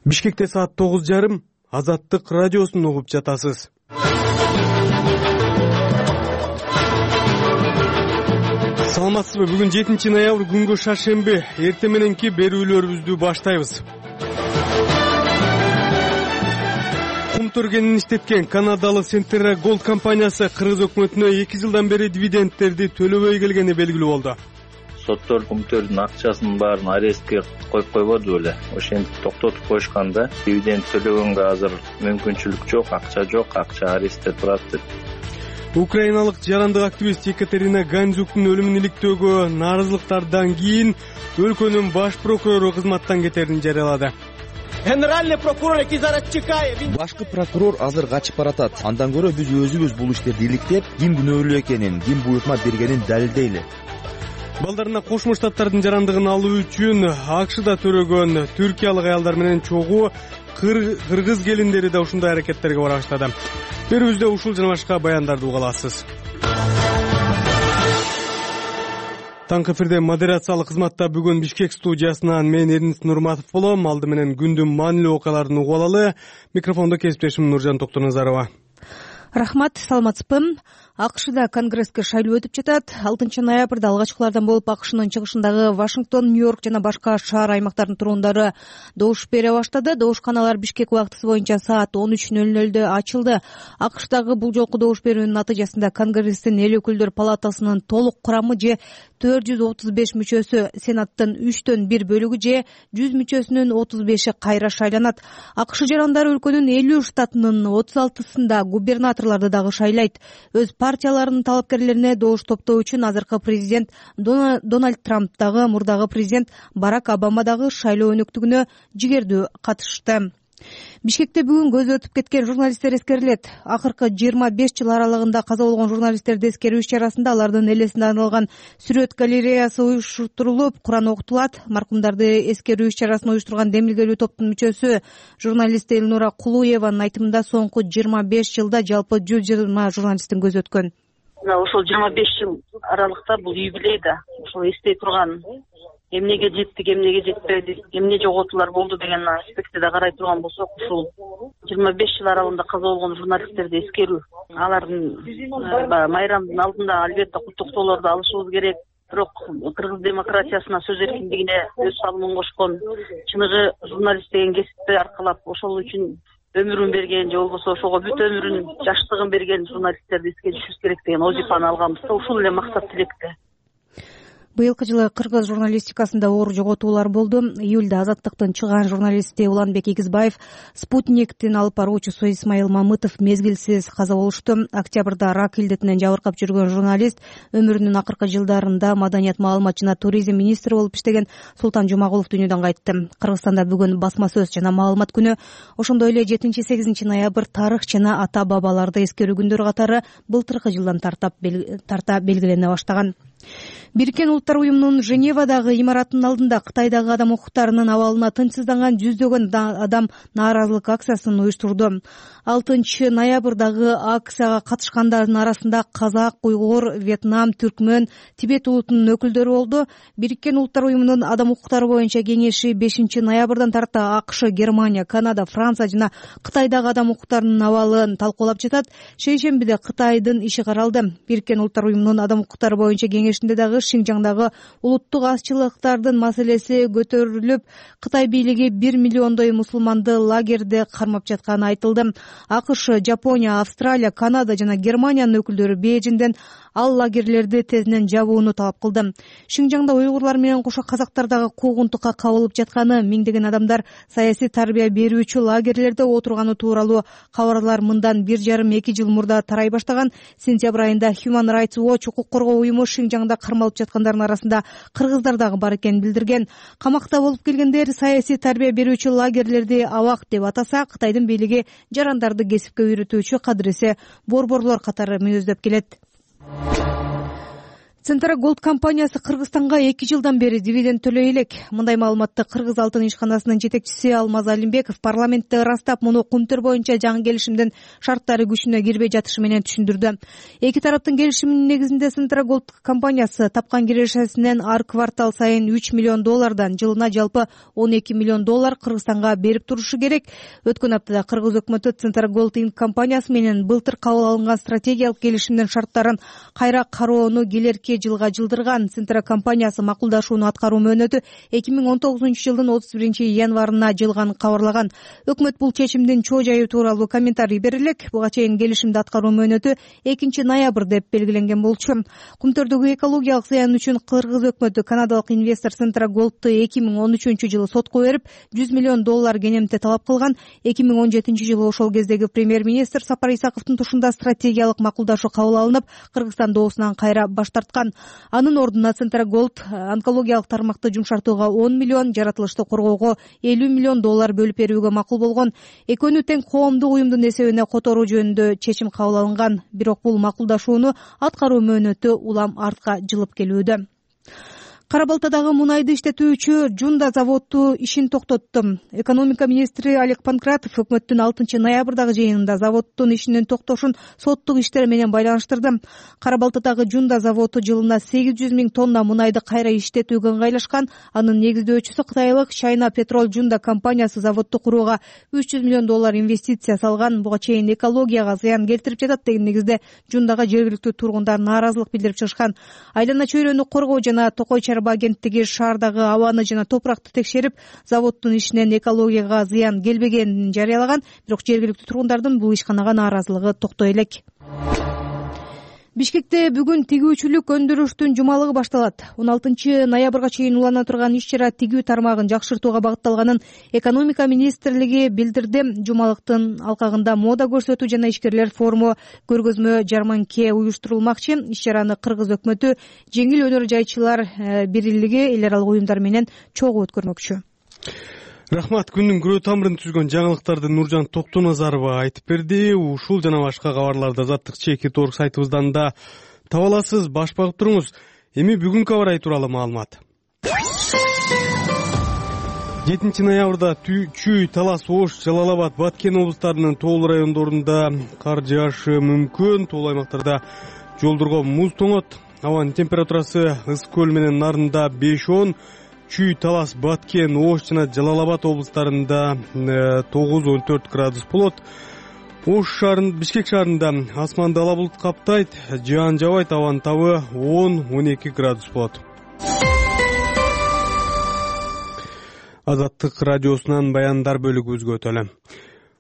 Бишкекте саат 9:30 Азаттык радиосун угуп жатасыз. Саламатсызбы? Бүгүн 7 ноябрь күнгө шаршемби. Эртең мененки берүүлөрүбүздү баштайбыз. Кум төргенин иштеткен канадалык Centerra Gold компаниясы Кыргыз өкмөтүнө 2 жылдан бери дивидендтерди төлөбөй келгени белгилүү болду. Соттор кумтөрдүн акчасынын баарын арестке коюп койбоду беле. Ошентип токтотуп коюшканда дивиденд төлөгөнгө азыр мүмкүнчүлүк жок, акча арестте турат деп. Украиналык жарандык активист Екатерина Гандзюктун өлүмүн иликтөөгө нааразылыктардан кийин өлкөнүн баш прокурору кызматтан кетерин жарыялады. Генеральный прокурор Башкы прокурор азыр качып баратат. Андан көрө биз өзүбүз бул иштерди иликтеп, ким күнөөлүү экенин, ким буйртма бергенин далилдейли. Балдарына Кошмо Штаттардын жарандыгын алуу үчүн АКШда төрөгөн түркиялык аялдар менен чогуу кыргыз келиндери да ушундай аракеттерге бара баштады. Берүүбүздө ушул жана башка баяндарды уга аласыз. Таңкы эфирде модерациялык кызматта бүгүн Бишкек студиясынан мен Эрнис Нурматов болом. Алды менен күндүн маанилүү окуяларын угуп алалы. Микрофондо кесиптешим Нуржан Токтоназарова. Рахмат, саламатсызбы? АКШда конгресске шайлоо өтүп жатат. 6 ноябрда алгачкылардан болуп АКШнын чыгышындагы Вашингтон, Нью-Йорк жана башка шаар аймактардын тургундары добуш бере баштады. Добушканалар Бишкек убактысы боюнча саат 13:00 ачылды. АКШдагы бул жолку добуш берүүнүн натыйжасында Конгресстин эл өкүлдөр палатасынын толук курамы же 435 мүчөсү, Сенаттын 3/1 бөлүгү же 100 мүчөсүнүн 35 кайра шайланат. АКШ жарандары өлкөнүн 50 штатынын 36-сында губернаторлорду дагы шайлайт. Өз партияларынын талапкерлерине добуш топтоо үчүн азыркы президент Дональд Трамп дагы мурдагы президент Барак Обама дагы шайлоо өнөктүгүнө жигердүү катышты. Бишкекте бүгүн көзү өтүп кеткен журналисттер эскерилет. Акыркы 25 жыл аралыгында каза болгон журналисттерди эскерүү иш-чарасында алардын элесине арналган сүрөт галереясы уюштурулуп, Куран окутулат. Маркумдарды эскерүү иш-чарасын уюштурган демилгелүү топтун мүчөсү журналист Элнура Кулуеванын айтымында соңку 25 жылда жалпы 120 журналисттин көзү өткөн. Ошол 25 жыл аралыкта бул юбилей да, ошол эстей турган эмнеге жеттик, эмнеге жетпедик, эмне жоготуулар болду деген аспектте да карай турган болсок, ушул 25 жыл аралыгында каза болгон журналисттерди эскерүү, алардын майрамдын алдында албетте куттуктоолорду алышыбыз керек. Бирок кыргыз демократиясына, сөз эркиндигине өз салымын кошкон, чыныгы журналист деген кесипти аркылап ошол үчүн өмүрүн берген же болбосо ошого бүт өмүрүн, жаштыгын берген журналисттерди эске түшүрүш керек деген вазифаны алганбызда, ушул эле максат тилекте. Быйылкы жылы кыргыз журналистикасында оор жоготуулар болду. Июлда Азаттыктын чыган журналисти Уланбек Игизбаев, Спутниктин алып баруучусу Исмаил Мамытов мезгилсиз каза болушту. Октябрда рак илдетинен жабыркап жүргөн журналист өмүрүнүн акыркы жылдарында маданият, маалымат жана туризм министри болуп иштеген Султан Жумагулов дүйнөдөн кайтты. Кыргызстанда бүгүн басма сөз жана маалымат күнү. Ошондой эле 7-8 ноябрь тарых жана ата бабаларды эскерүү күндөрү катары былтыркы жылдан тарта белгилене баштаган. Бириккен Улуттар уюмунун Женевадагы имараттын алдында Кытайдагы адам укуктарынын абалына тынчсызданган жүздөгөн адам нааразылык акциясын уюштурду. 6 ноябрдагы акцияга катышкандардын арасында казак, уйгур, Вьетнам, түркмөн, Тибет улутунун өкүлдөрү болду. Бириккен Улуттар уюмунун адам укуктары боюнча кеңеши 5 ноябрдан тарта АКШ, Германия, Канада, Франция жана Кытайдагы адам укуктарынын абалын талкуулап жатат. Шейшембиде Кытайдын иши каралды. Бириккен Улуттар уюмунун адам укуктары боюнча кеңешинде дагы Шинжаңдагы улуттук азчылыктардын маселеси көтөрүлүп, Кытай бийлиги 1 миллиондой мусулманды лагерде кармап жатканы айтылды. АКШ, Жапония, Австралия, Канада жана Германиянын өкүлдөрү Бейжиңден ал лагерлерди тезинен жабууну талап кылды. Шинжаңда уйгурлар менен кошо казактар дагы куугунтукка кабылып жатканы, миңдеген адамдар саясий тарбия берүүчү лагерлерде отурганы тууралуу кабарлар мындан 1,5-2 жыл мурда тарай баштаган. Сентябрь айында Human Rights Watch укук коргоо уюму Шинжаңда кармалып жаткандардын арасында кыргыздар дагы бар экенин билдирген. Камакта болуп келгендер саясий тарбия берүүчү лагерлерди абак деп атаса, Кытайдын бийлиги жарандарды кесипке үйрөтүүчү кадыресе борборлор катары мүнөздөп келет. Центра Голд компаниясы Кыргызстанга 2 жылдан бери дивиденд төлөй элек. Мындай маалыматты Кыргыз алтын ишканасынын жетекчиси Алмаз Алимбеков парламентте ырастап, муну Кумтөр боюнча жаңы келишимдин шарттары күчүнө кирбей жатышы менен түшүндүрдү. Эки тараптын келишиминин негизинде Центра Голд компаниясы тапкан кирешесинен ар квартал сайын $3 миллион жылына жалпы $12 миллион Кыргызстанга берип турушу керек. Өткөн аптада Кыргыз өкмөтү Центра Голд компаниясы менен былтыр кабыл алынган стратегиялык келишимдин шарттарын кайра кароону келерки жылга жылдырган. Центра компаниясы макулдашууну аткаруу мөөнөтү 2019 жылдын 31 январына жылганын кабарлаган. Өкмөт бул чечимдин чоо жайы тууралуу комментарий бере элек. Буга чейин келишимди аткаруу мөөнөтү 2 ноябрь деп белгиленген болчу. Кумтөрдөгү экологиялык зыян үчүн Кыргыз өкмөтү канадалык инвестор Центра Голдту 2013 жылы сотко берип, $100 миллион кенемте талап кылган. 2017 жылы ошол кездеги премьер-министр Сапар Исаковдун тушунда стратегиялык макулдашуу кабыл алынып, Кыргызстан доосунан кайра баш тарткан. Анын ордуна Центра Голд онкологиялык тармакты жумшартууга $10 миллион, жаратылышты коргоого $50 миллион бөлүп берүүгө макул болгон. Экөөнү тең коомдук уюмдун эсебине которуу жөнүндө чечим кабыл алынган. Бирок бул макулдашууну аткаруу мөөнөтү улам артка жылып келүүдө. Кара-Балтадагы мунайды иштетүүчү Жунда заводу ишин токтотту. Экономика министри Олег Панкратов өкмөттүн 6 ноябрдагы жыйынында заводдун ишинин токтошун соттук иштер менен байланыштырды. Кара-Балтадагы Жунда заводу жылына 800 000 тонна мунайды кайра иштетүүгө ыңгайлашкан. Анын негиздөөчүсү кытайлык China Petrol Junda компаниясы заводду курууга $300 миллион инвестиция салган. Буга чейин экологияга зыян келтирип жатат деген негизде Жундага жергиликтүү тургундар нааразылык билдирип чыгышкан. Айлана чөйрөнү коргоо жана Токой агенттиги шаардагы абаны жана топуракты текшерип, заводдун ишинен экологияга зыян келбегенин жарыялаган. Бирок жергиликтүү тургундардын бул ишканага нааразылыгы токтой элек. Бишкекте бүгүн тигүүчүлүк өндүрүштүн жумалыгы башталат. 16 ноябрга чейин улана турган иш-чара тигүү тармагын жакшыртууга багытталганын экономика министрлиги билдирди. Жумалыктын алкагында мода көрсөтүү жана ишкерлер форуму, көргөзмө жарманке уюштурулмакчы. Иш-чараны Кыргыз өкмөтү жеңил өнөр жайчылар бирлиги эл аралык уюмдар менен чогуу өткөрмөкчү. Рахмат. Күндүн күрөө тамырын түзгөн жаңылыктарды Нуржан Токтоназарова айтып берди. Ушул жана башка кабарларды Азаттык Чеки.org сайтыбыздан да таба аласыз. Баш багып туруңуз. Эми бүгүнкү аба ырайы тууралуу маалымат. 7 ноябрда Чүй, Талас, Ош, Жалал Абад, Баткен облустарынын тоолуу райондорунда кар жаашы мүмкүн. Тоолуу аймактарда жолдорго муз тоңот. Абанын температурасы Ысык көл менен Нарында 5-10, Чүй, Талас, Баткен, Ош жана Жалал Абад облустарында 9-14 градус болот. Ош шаарында, Бишкек шаарында асманды ала булут каптайт, жаан жабайт, абанын табы 10-12 градус болот. Азаттык радиосунан баяндар бөлүгүбүзгө өтөлү.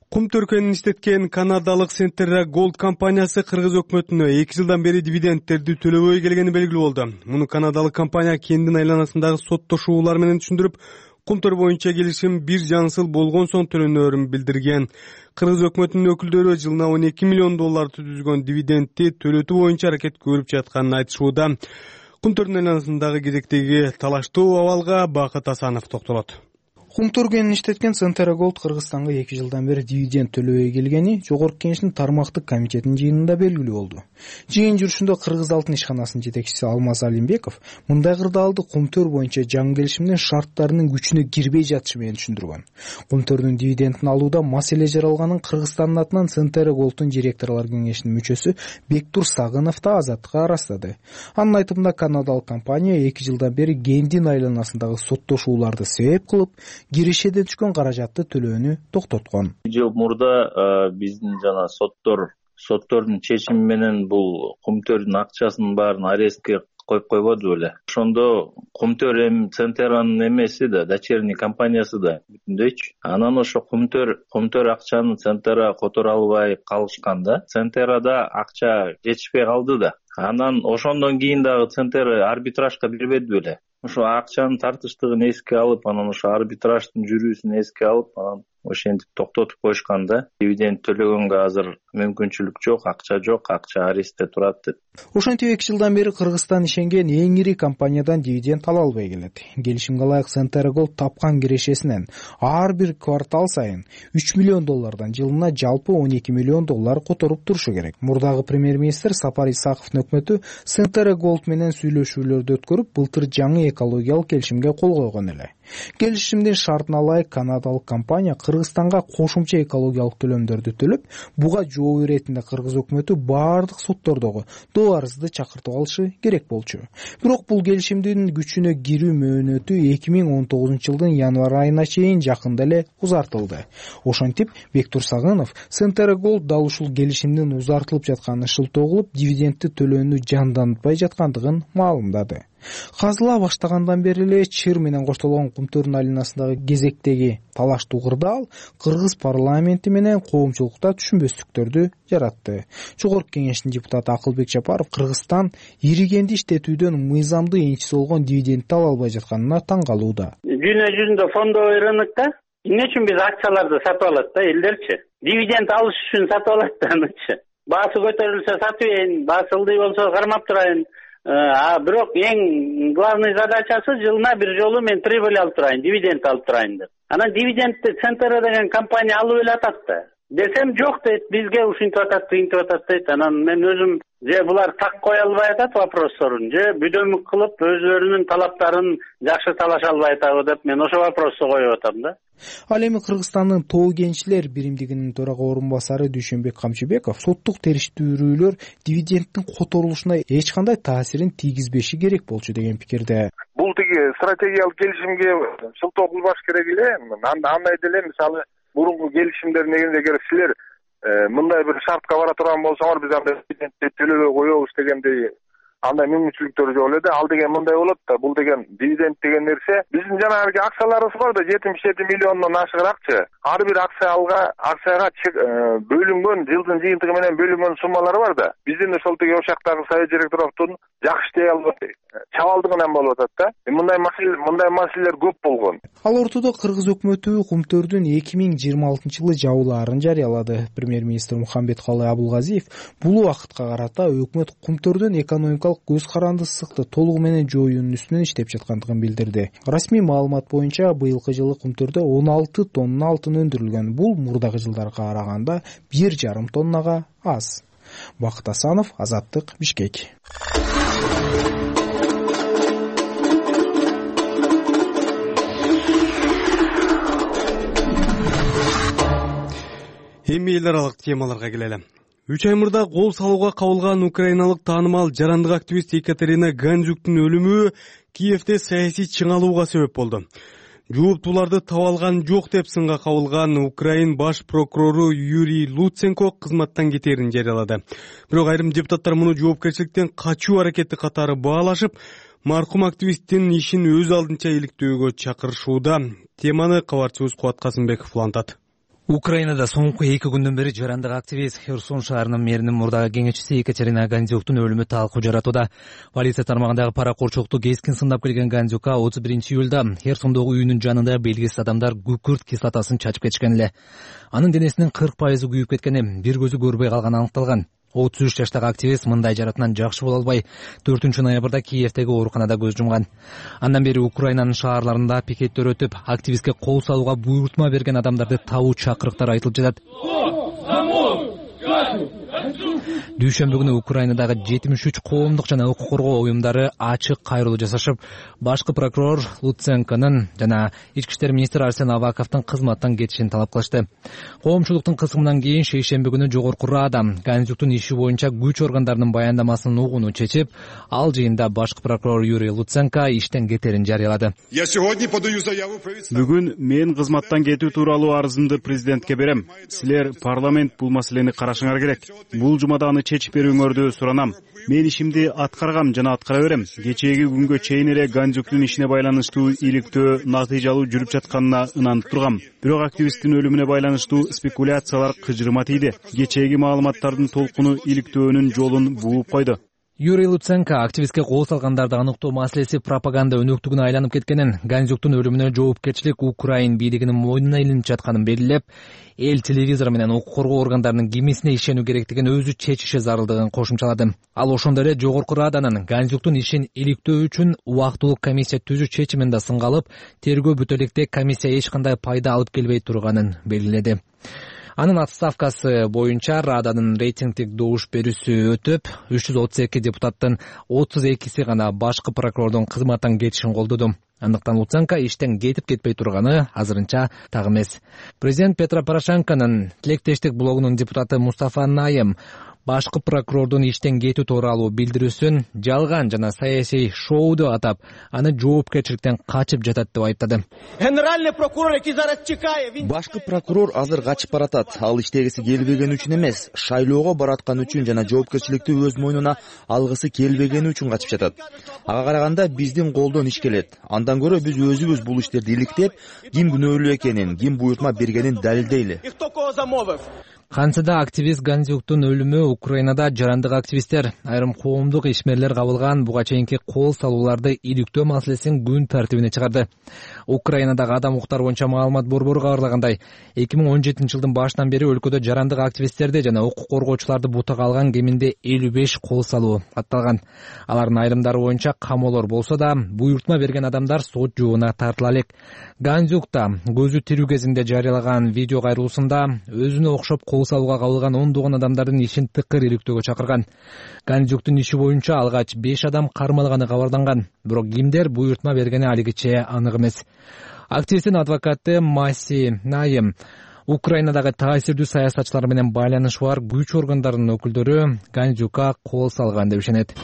Кум төркөнүн иштеткен канадалык Центра Голд компаниясы Кыргыз өкмөтүнө 2 жылдан бери дивидендтерди төлөбөй келгени белгилүү болду. Муну канадалык компания кендин айланасындагы соттошуулар менен түшүндүрүп, Кумтөр боюнча келишим бир жаңсыл болгон соң төлөнөөрүн билдирген. Кыргыз өкмөтүнүн өкүлдөрү жылына $12 миллион түзгөн дивидендти төлөтүү боюнча аракет көрүп жатканын айтышууда. Кумтөрдүн айланасындагы кезектеги талаштуу абалга Бакыт Асанов токтолот. Кум төркөнүн иштеткен Центра Голд Кыргызстанга 2 жылдан бери дивиденд төлөбөй келгени Жогорку Кеңештин тармактык комитетинин жыйынында белгилүү болду. Жыйын жүрүшүндө Кыргыз алтын ишканасынын жетекчиси Алмаз Алимбеков мындай кырдаалды Кум төр боюнча жаңы келишимдин шарттарынын күчүнө кирбей жатышы менен түшүндүргөн. Кум төрдүн дивидендин алууда маселе жаралганын Кыргызстандын атынан Центра Голдтун директорлор кеңешинин мүчөсү Бектур Сагынов да Азаттыкка ырастады. Анын айтымында канадалык компания 2 жылдан бери кендин айланасындагы соттошууларды себеп кылып, кирешеден түшкөн каражатты төлөөнү токтоткон. Жыл мурда биздин жана соттордун чечими менен бул Кумтөрдүн акчасынын баарын арестке коюп койбоду беле. Ошондо Кумтөр эми Центранын эмеси да, дочерний компаниясы да бүтүндөйчү. Анан ошо Кумтөр акчаны Центра которо албай калышканда, Центрада акча жетишпей калды да. Анан ошондон кийин дагы Центр арбитражга бербеди беле. Ошо акчанын тартыштыгын эске алып, анан ошо арбитраждын жүрүүсүн эске алып, анан ошентип токтотуп коюшканда, дивиденд төлөгөнгө азыр мүмкүнчүлүк жок, акча арестте турат деп. Ошентип 2 жылдан бери Кыргызстан ишенген эң ири компаниядан дивиденд ала албай келет. Келишимге ылайык Центера Голд тапкан кирешесинен ар бир квартал сайын $3 миллион жылына жалпы $12 миллион которуп турушу керек. Мурдагы премьер-министр Сапар Исаковдун өкмөтү Центера Голд менен сүйлөшүүлөрдү өткөрүп, былтыр жаңы экологиялык келишимге кол койгон эле. Келишимдин шартына ылайык канадалык компания Кыргызстанга кошумча экологиялык төлөмдөрдү төлөп, буга жооп иретинде кыргыз өкмөтү баардык соттордогу доо арызды чакыртып алышы керек болчу. Бирок бул келишимдин күчүнө кирүү мөөнөтү 2019 жылдын январь айына чейин жакында эле узартылды. Ошентип, Бектур Сагынов Центера Голд дал ушул келишимдин узартылып жатканын шылтоо кылып, дивидендти төлөөнү жандантпай жаткандыгын маалымдады. Казыла баштагандан бери эле Чыр менен коштолгон Кумтөр долинасындагы кезектеги талаштуу кырдаал кыргыз парламенти менен коомчулукта түшүнбөстүктөрдү жаратты. Жогорку кеңештин депутаты Акылбек Жапаров Кыргызстан иригенди иштетүүдөн мыйзамдуу энчиси болгон дивидендти ала албай жатканына таң калууда. Дүйнө жүзүндө фондовый рынокто эмне үчүн биз акцияларды сатып алат да элдерчи? Дивиденд алыш үчүн сатып алат да анычы. Баасы көтөрүлсө сатып ийин, баасы ылдый болсо кармап турайын. Бирок эң главный задачасы жылына бир жолу мен прибыль алып турайын, дивиденд алып турайын деп. Анан дивидендти Центера деген компания алып эле атат да. Десем жок дейт, бизге ушинтип атат, тыйынтип атат дейт. Анан мен өзүм же булар так кое албай атат вопросторун, же бүдөмүк кылып өзлөрүнүн талаптарын жакшы талаша албай атабы деп мен ошо вопросту коюп атам да. Ал эми Кыргызстандын Тоо кенчилер биримдигинин төрага орун басары Дүйшөнбек Камчыбеков соттук териштирүүлөр дивидендтин которулушуна эч кандай таасирин тийгизбеши керек болчу деген пикирде. Бул тиги стратегиялык келишимге шылтоо кылбаш керек эле. Андай деле мисалы мурунку келишимдер негизинде эгер силер мындай бир шартка бара турган болсоңор биз андай дивидендти төлөбөй коебуз дегендей андай мүмкүнчүлүктөр жок эле да. Ал деген мындай болот да, бул деген дивиденд деген нерсе биздин жанагы акцияларыбыз бар да, 77 миллиондон ашыгыракчы. Ар бир акцияга бөлүнгөн жылдын жыйынтыгы менен бөлүнгөн суммалар бар да. Биздин ошол тиги ошактагы совет директоровдун жакшы иштей албай чабалдыгынан болуп атат да. Мындай маселелер көп болгон. Ал ортодо кыргыз өкмөтү Кумтөрдүн 2026 жылы жабылаарын жарыялады. Премьер-министр Мухамбеткалый Абулгазиев бул убакытка карата өкмөт Кумтөрдүн экономикалык көз карандысыздыкты толугу менен жоюунун үстүнөн иштеп жаткандыгын билдирди. Расмий маалымат боюнча быйылкы жылы Кумтөрдө 16 тонна алтын өндүрүлгөн. Бул мурдагы жылдарга караганда 1,5 тоннага аз. Бакыт Асанов, Азаттык, Бишкек. Эми эл аралык темаларга келели. 3 ай мурда кол салууга кабылган украиналык таанымал жарандык активист Екатерина Гандзюктун өлүмү Киевде саясий чыңалууга себеп болду. Жооптууларды таба алган жок деп сынга кабылган Украин баш прокурору Юрий Луценко кызматтан кетээрин жарыялады. Бирок айрым депутаттар муну жоопкерчиликтен качуу аракети катары баалашып, маркум активисттин ишин өз алдынча иликтөөгө чакырышууда. Теманы кабарчыбыз Кубат Касымбеков улантат. Украинада соңку 2 күндөн бери жарандык активист Херсон шаарынын мэринин мурдагы кеңешчиси Екатерина Гандзюктун өлүмү талкуу жаратууда. Полиция тармагындагы паракорчукту кескин сындап келген Гандзюкка 31 июлда Херсондогу үйүнүн жанында белгисиз адамдар күкүрт кислотасын чачып кетишкен эле. Анын денесинин 40% күйүп кеткени, бир көзү көрбөй калганы аныкталган. 33 жаштагы активист мындай жаратынан жакшы боло албай 4 ноябрда Киевдеги ооруканада көз жумган. Андан бери Украинанын шаарларында пикеттер өтүп, активистке кол салууга буйрутма берген адамдарды табуу чакырыктар айтылып жатат. Дүйшөмбү күнү Украинадагы 73 коомдук жана укук коргоо уюмдары ачык кайрылуу жасашып, башкы прокурор Луценконун жана ички иштер министри Арсен Аваковдун кызматтан кетишин талап кылышты. Коомчулуктун кысымынан кийин шейшемби күнү Жогорку Рада Гандзюктун иши боюнча күч органдарынын баяндамасын угууну чечип, ал жыйында башкы прокурор Юрий Луценко иштен кетерин жарыялады. Бүгүн мен кызматтан кетүү тууралуу арызымды президентке берем. Силер парламент бул маселени карашыңар керек. Бул жумада аны чечип берүүңөрдү суранам. Мен ишимди аткаргам жана аткара берем. Кечээги күнгө чейин эле Гандзюктун ишине байланыштуу иликтөө натыйжалуу жүрүп жатканына ынанып тургам. Бирок активисттин өлүмүнө байланыштуу спекуляциялар кыжырыма тийди. Кечээги маалыматтардын толкуну иликтөөнүн жолун бууп койду. Юрий Луценко активистке кол салгандарды аныктоо маселеси пропаганда өнөктүгүнө айланып кеткенин, Гандзюктун өлүмүнө жоопкерчилик Украин бийлигинин мойнуна илинип жатканын белгилеп, эл телевизору менен укук коргоо органдарынын кимисине ишенүү керектигин өзү чечиши зарылдыгын кошумчалады. Ал ошондой эле Жогорку Раданын Гандзюктун ишин иликтөө үчүн убактылуу комиссия түзүү чечимин да сынга алып, тергөө бүтө электе комиссия эч кандай пайда алып келбей турганын белгиледи. Анын отставкасы боюнча Раданын рейтингдик добуш берүүсү өтүп, 332 депутаттын 32си гана башкы прокурордун кызматтан кетишин колдоду. Андыктан Луценко иштен кетип-кетпей турганы азырынча так эмес. Президент Петро Порошенконун тилектештик блогунун депутаты Мустафа Найым башкы прокурордун иштен кетүү тууралуу билдирүүсүн жалган жана саясий шоуду атап, аны жоопкерчиликтен качып жатат деп айыптады. Генеральный прокурор, який зараз чекае, башкы прокурор азыр качып баратат. Ал иштегиси келбегени үчүн эмес, шайлоого бараткан үчүн жана жоопкерчиликти өз мойнуна алгысы келбегени үчүн качып жатат. Ага караганда биздин колдон иш келет. Андан көрө биз өзүбүз бул иштерди иликтеп, ким күнөөлүү экенин, ким буйртма бергенин далилдейли. Кантсе да активист Гандзюктун өлүмү Украинада жарандык активисттер, айрым коомдук ишмерлер кабылган буга чейинки кол салууларды иликтөө маселесин күн тартибине чыгарды. Украинадагы адам укуктары боюнча маалымат борбору кабарлагандай, 2017-жылдын башынан бери өлкөдө жарандык активисттерди жана укук коргоочуларды бутага алган кеминде 55 кол салуу атталган. Алардын айрымдары боюнча камоолор болсо да, буйртма берген адамдар сот жообуна тартыла элек. Гандзюкта көзү тирүү кезинде жарыялаган видео кайрылуусунда өзүнө окшоп кол салууга кабылган 10 адамдардын ишин тыкыр иликтөөгө чакырган. Гандзюктун иши боюнча алгач 5 адам кармалганы кабарланган, бирок кимдер буйртма бергени алигиче анык эмес. Активисттин адвокаты Маси Найым Украинадагы таасирдүү саясатчылар менен байланышы бар күч органдарынын өкүлдөрү Гандзюкка кол салган деп ишенет.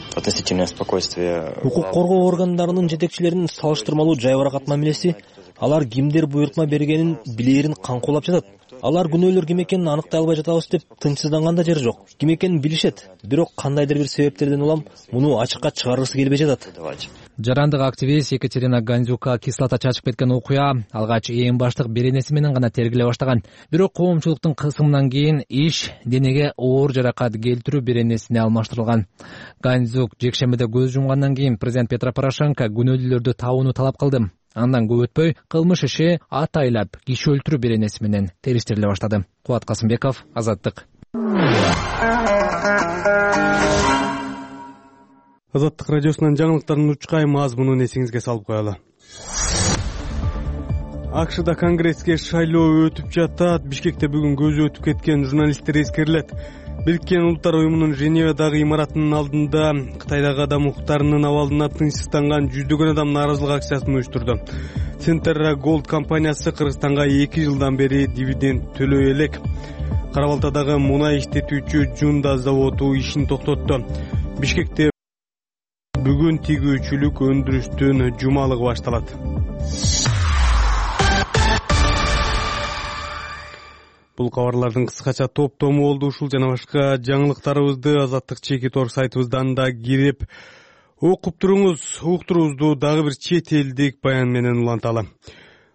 Укук коргоо органдарынын жетекчилеринин салыштырмалуу жайбаракат мамилеси, алар кимдер буйртма бергенин билээрин каңкуулап жатат. Алар күнөөлөр ким экенин аныктай албай жатабыз деп тынчсызданган да жери жок. Ким экенин билишет, бирок кандайдыр бир себептерден улам муну ачыкка чыгаргысы келбей жатат. Жарандык активист Екатерина Гандзюкка кислота чачып кеткен окуя алгач эң баштык беренеси менен гана тергеле баштаган. Бирок коомчулуктун кысымынан кийин иш денеге оор жаракат келтирүү беренесине алмаштырылган. Гандзюк жекшембиде көз жумгандан кийин президент Петро Порошенко күнөөлүүлөрдү табууну талап кылды. Андан көп өтпөй кылмыш иши атайлап киши өлтүрүү беренеси менен териштириле баштады. Кубат Касымбеков, Азаттык. Азаттык радиосунун жаңылыктарынын учкай мазмунун эсиңизге салып коелу. АКШда конгресске шайлоо өтүп жатат. Бишкекте бүгүн көзү өтүп кеткен журналисттер эскерилет. Бириккен Улуттар уюмунун Женевадагы имаратынын алдында Кытайдагы адам укуктарынын абалына тынчсызданган жүздөгөн адам нааразылык акциясын уюштурду. Centera Gold компаниясы Кыргызстанга 2 жылдан бери дивиденд төлөй элек. Кара Балтадагы мунай иштетүүчү Жунда заводу ишин токтотту. Бишкекте бүгүн тигүүчүлүк өндүрүштүн жумалыгы башталат. Бул кабарлардын кыскача топтому болду. Ушул жана башка жаңылыктарыбызды Азаттык чеки тор сайтыбыздан да кирип окуп туруңуз. Уктуруубузду дагы бир чет элдик баян менен уланталы.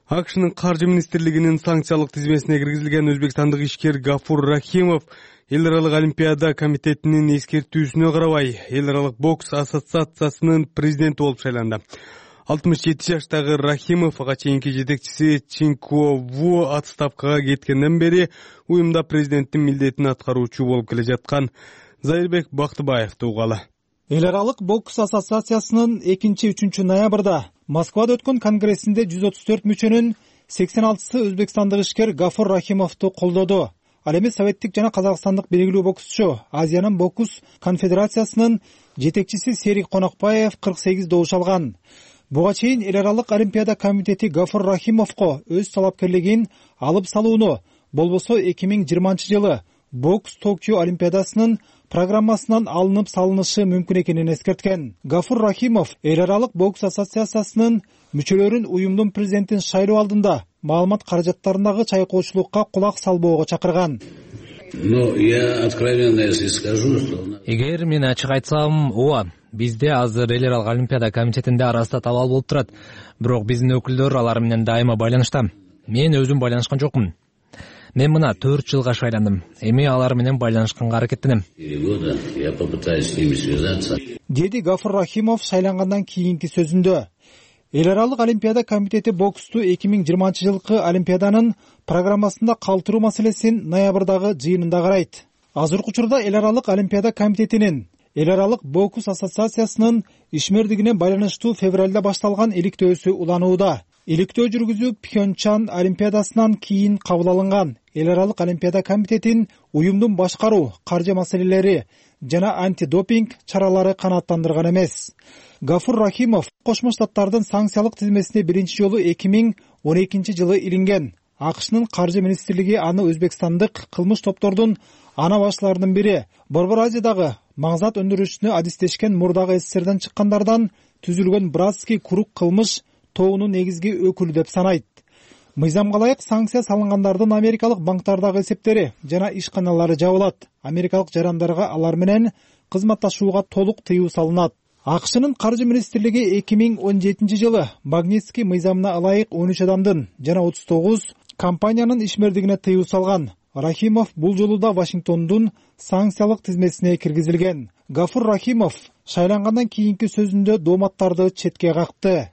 АКШнын каржы министрлигинин санкциялык тизмесине киргизилген өзбекстандык ишкер Гафур Рахимов Эл аралык олимпиада комитетинин эскертүүсүнө карабай Эл аралык бокс ассоциациясынын президенти болуп шайланды. 67 жаштагы Рахимов ага чейинки жетекчиси Чинко Ву отставкага кеткенден бери уюмда президенттин милдетин аткаруучу болуп келе жаткан Зайырбек Бактыбаевди угалы. Эл аралык бокс ассоциациясынын 2-3 ноябрда Москвада өткөн конгрессинде 134 мүчөнүн 86сы өзбекстандык ишкер Гафур Рахимовду колдоду. Ал эми советтик жана казакстандык белгилүү боксчу, Азиянын бокс конфедерациясынын жетекчиси Серик Конокбаев 48 добуш алган. Буга чейин Эл аралык олимпиада комитети Гафур Рахимовго өз талапкерлигин алып салууну, болбосо 2020-жылы бокс Токио олимпиадасынын программасынан алынып салынышы мүмкүн экенин эскерткен. Гафур Рахимов Эл аралык бокс ассоциациясынын мүчөлөрүн уюмдун президентин шайлоо алдында маалымат каражаттарындагы чайкоочулукка кулак салбоого чакырган. Эгер мен ачык айтсам, ооба, бизде азыр Эл аралык олимпиада комитетинде арасында табал болуп турат. Бирок биздин өкүлдөр алар менен дайыма байланышта. Мен өзүм байланышкан жокмун. Мен мына 4 жылга шайландым. Эми алар менен байланышканга аракеттенем. Деди Гафур Рахимов шайлангандан кийинки сөзүндө. Эл аралык олимпиада комитети боксту 2020-жылкы олимпиаданын программасында калтыруу маселесин ноябрдагы жыйынында карайт. Азыркы учурда эл аралык олимпиада комитетинин Эл аралык бокс ассоциациясынын ишмердигине байланыштуу февралда башталган иликтөөсү уланууда. Иликтөө жүргүзүү Пхенчан олимпиадасынан кийин кабыл алынган. Эл аралык олимпиада комитетин уюмдун башкаруу, каржы маселелери жана антидопинг чаралары канааттандырган эмес. Гафур Рахимов Кошмо Штаттардын санкциялык тизмесине биринчи жолу 2012-жылы илинген. АКШнын каржы министрлиги аны өзбекстандык кылмыш топтордун ана башларынын бири, Борбор Азиядагы маңзат өндүрүшүнө адистешкен мурдагы СССРдан чыккандардан түзүлгөн братский круг кылмыш тобунун негизги өкүлү деп санайт. Мыйзамга ылайык санкция салынгандардын америкалык банктардагы эсептери жана ишканалары жабылат. Америкалык жарандарга алар менен кызматташууга толук тыюу салынат. АКШнын каржы министрлиги 2017-жылы Магнитский мыйзамына ылайык 13 адамдын жана 39 компаниянын ишмердигине тыюу салган. Рахимов бул жолу да Вашингтондун санкциялык тизмесине киргизилген. Гафур Рахимов шайлангандан кийинки сөзүндө дооматтарды четке какты.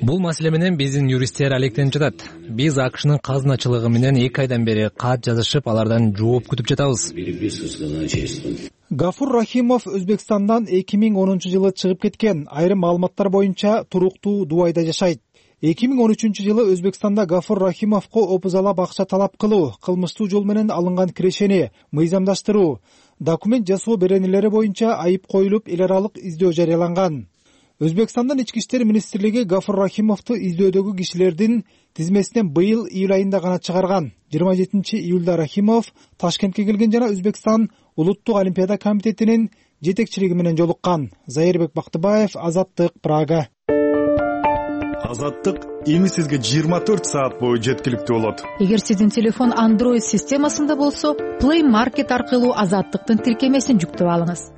Бул маселе менен биздин юристтер алектенип жатат. Биз АКШнын казыначылыгы менен 2 айдан бери кат жазышып, алардан жооп күтүп жатабыз. Гафур Рахимов Өзбекстандан 2010-жылы чыгып кеткен. Айрым маалыматтар боюнча туруктуу Дубайда жашайт. 2013-жылы Өзбекстанда Гафур Рахимовго опузалап акча талап кылуу, кылмыштуу жол менен алынган кирешени мыйзамдаштыруу, документ жасоо беренелери боюнча айып коюлуп, эл аралык издөө жарыяланган. Өзбекстандын ички иштер министрлиги Гафур Рахимовду издөөдөгү кишилердин тизмесинен быйыл июль айында гана чыгарган. 27-июлда Рахимов Ташкентке келген жана Өзбекстан Улуттук олимпиада комитетинин жетекчилиги менен жолуккан. Зайырбек Бактыбаев, Азаттык, Прага. Азаттык эми сизге 24 саат бою жеткиликтүү болот. Эгер сиздин телефон Android системасында болсо, Play Market аркылуу Азаттыктын тиркемесин жүктөп алыңыз.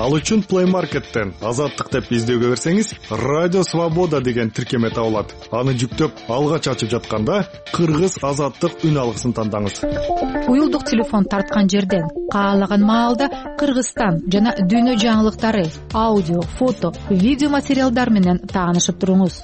Ал үчүн Play Market'тен Азаттык деп издөөгө берсеңиз, Радио Свобода деген тиркеме табылат. Аны жүктөп, алгач ачып жатканда Кыргыз Азаттык үн алгысын тандаңыз. Уюлдук телефон тарткан жерден каалаган маалда Кыргызстан жана дүйнө жаңылыктары, аудио, фото, видео материалдар менен таанышып туруңуз.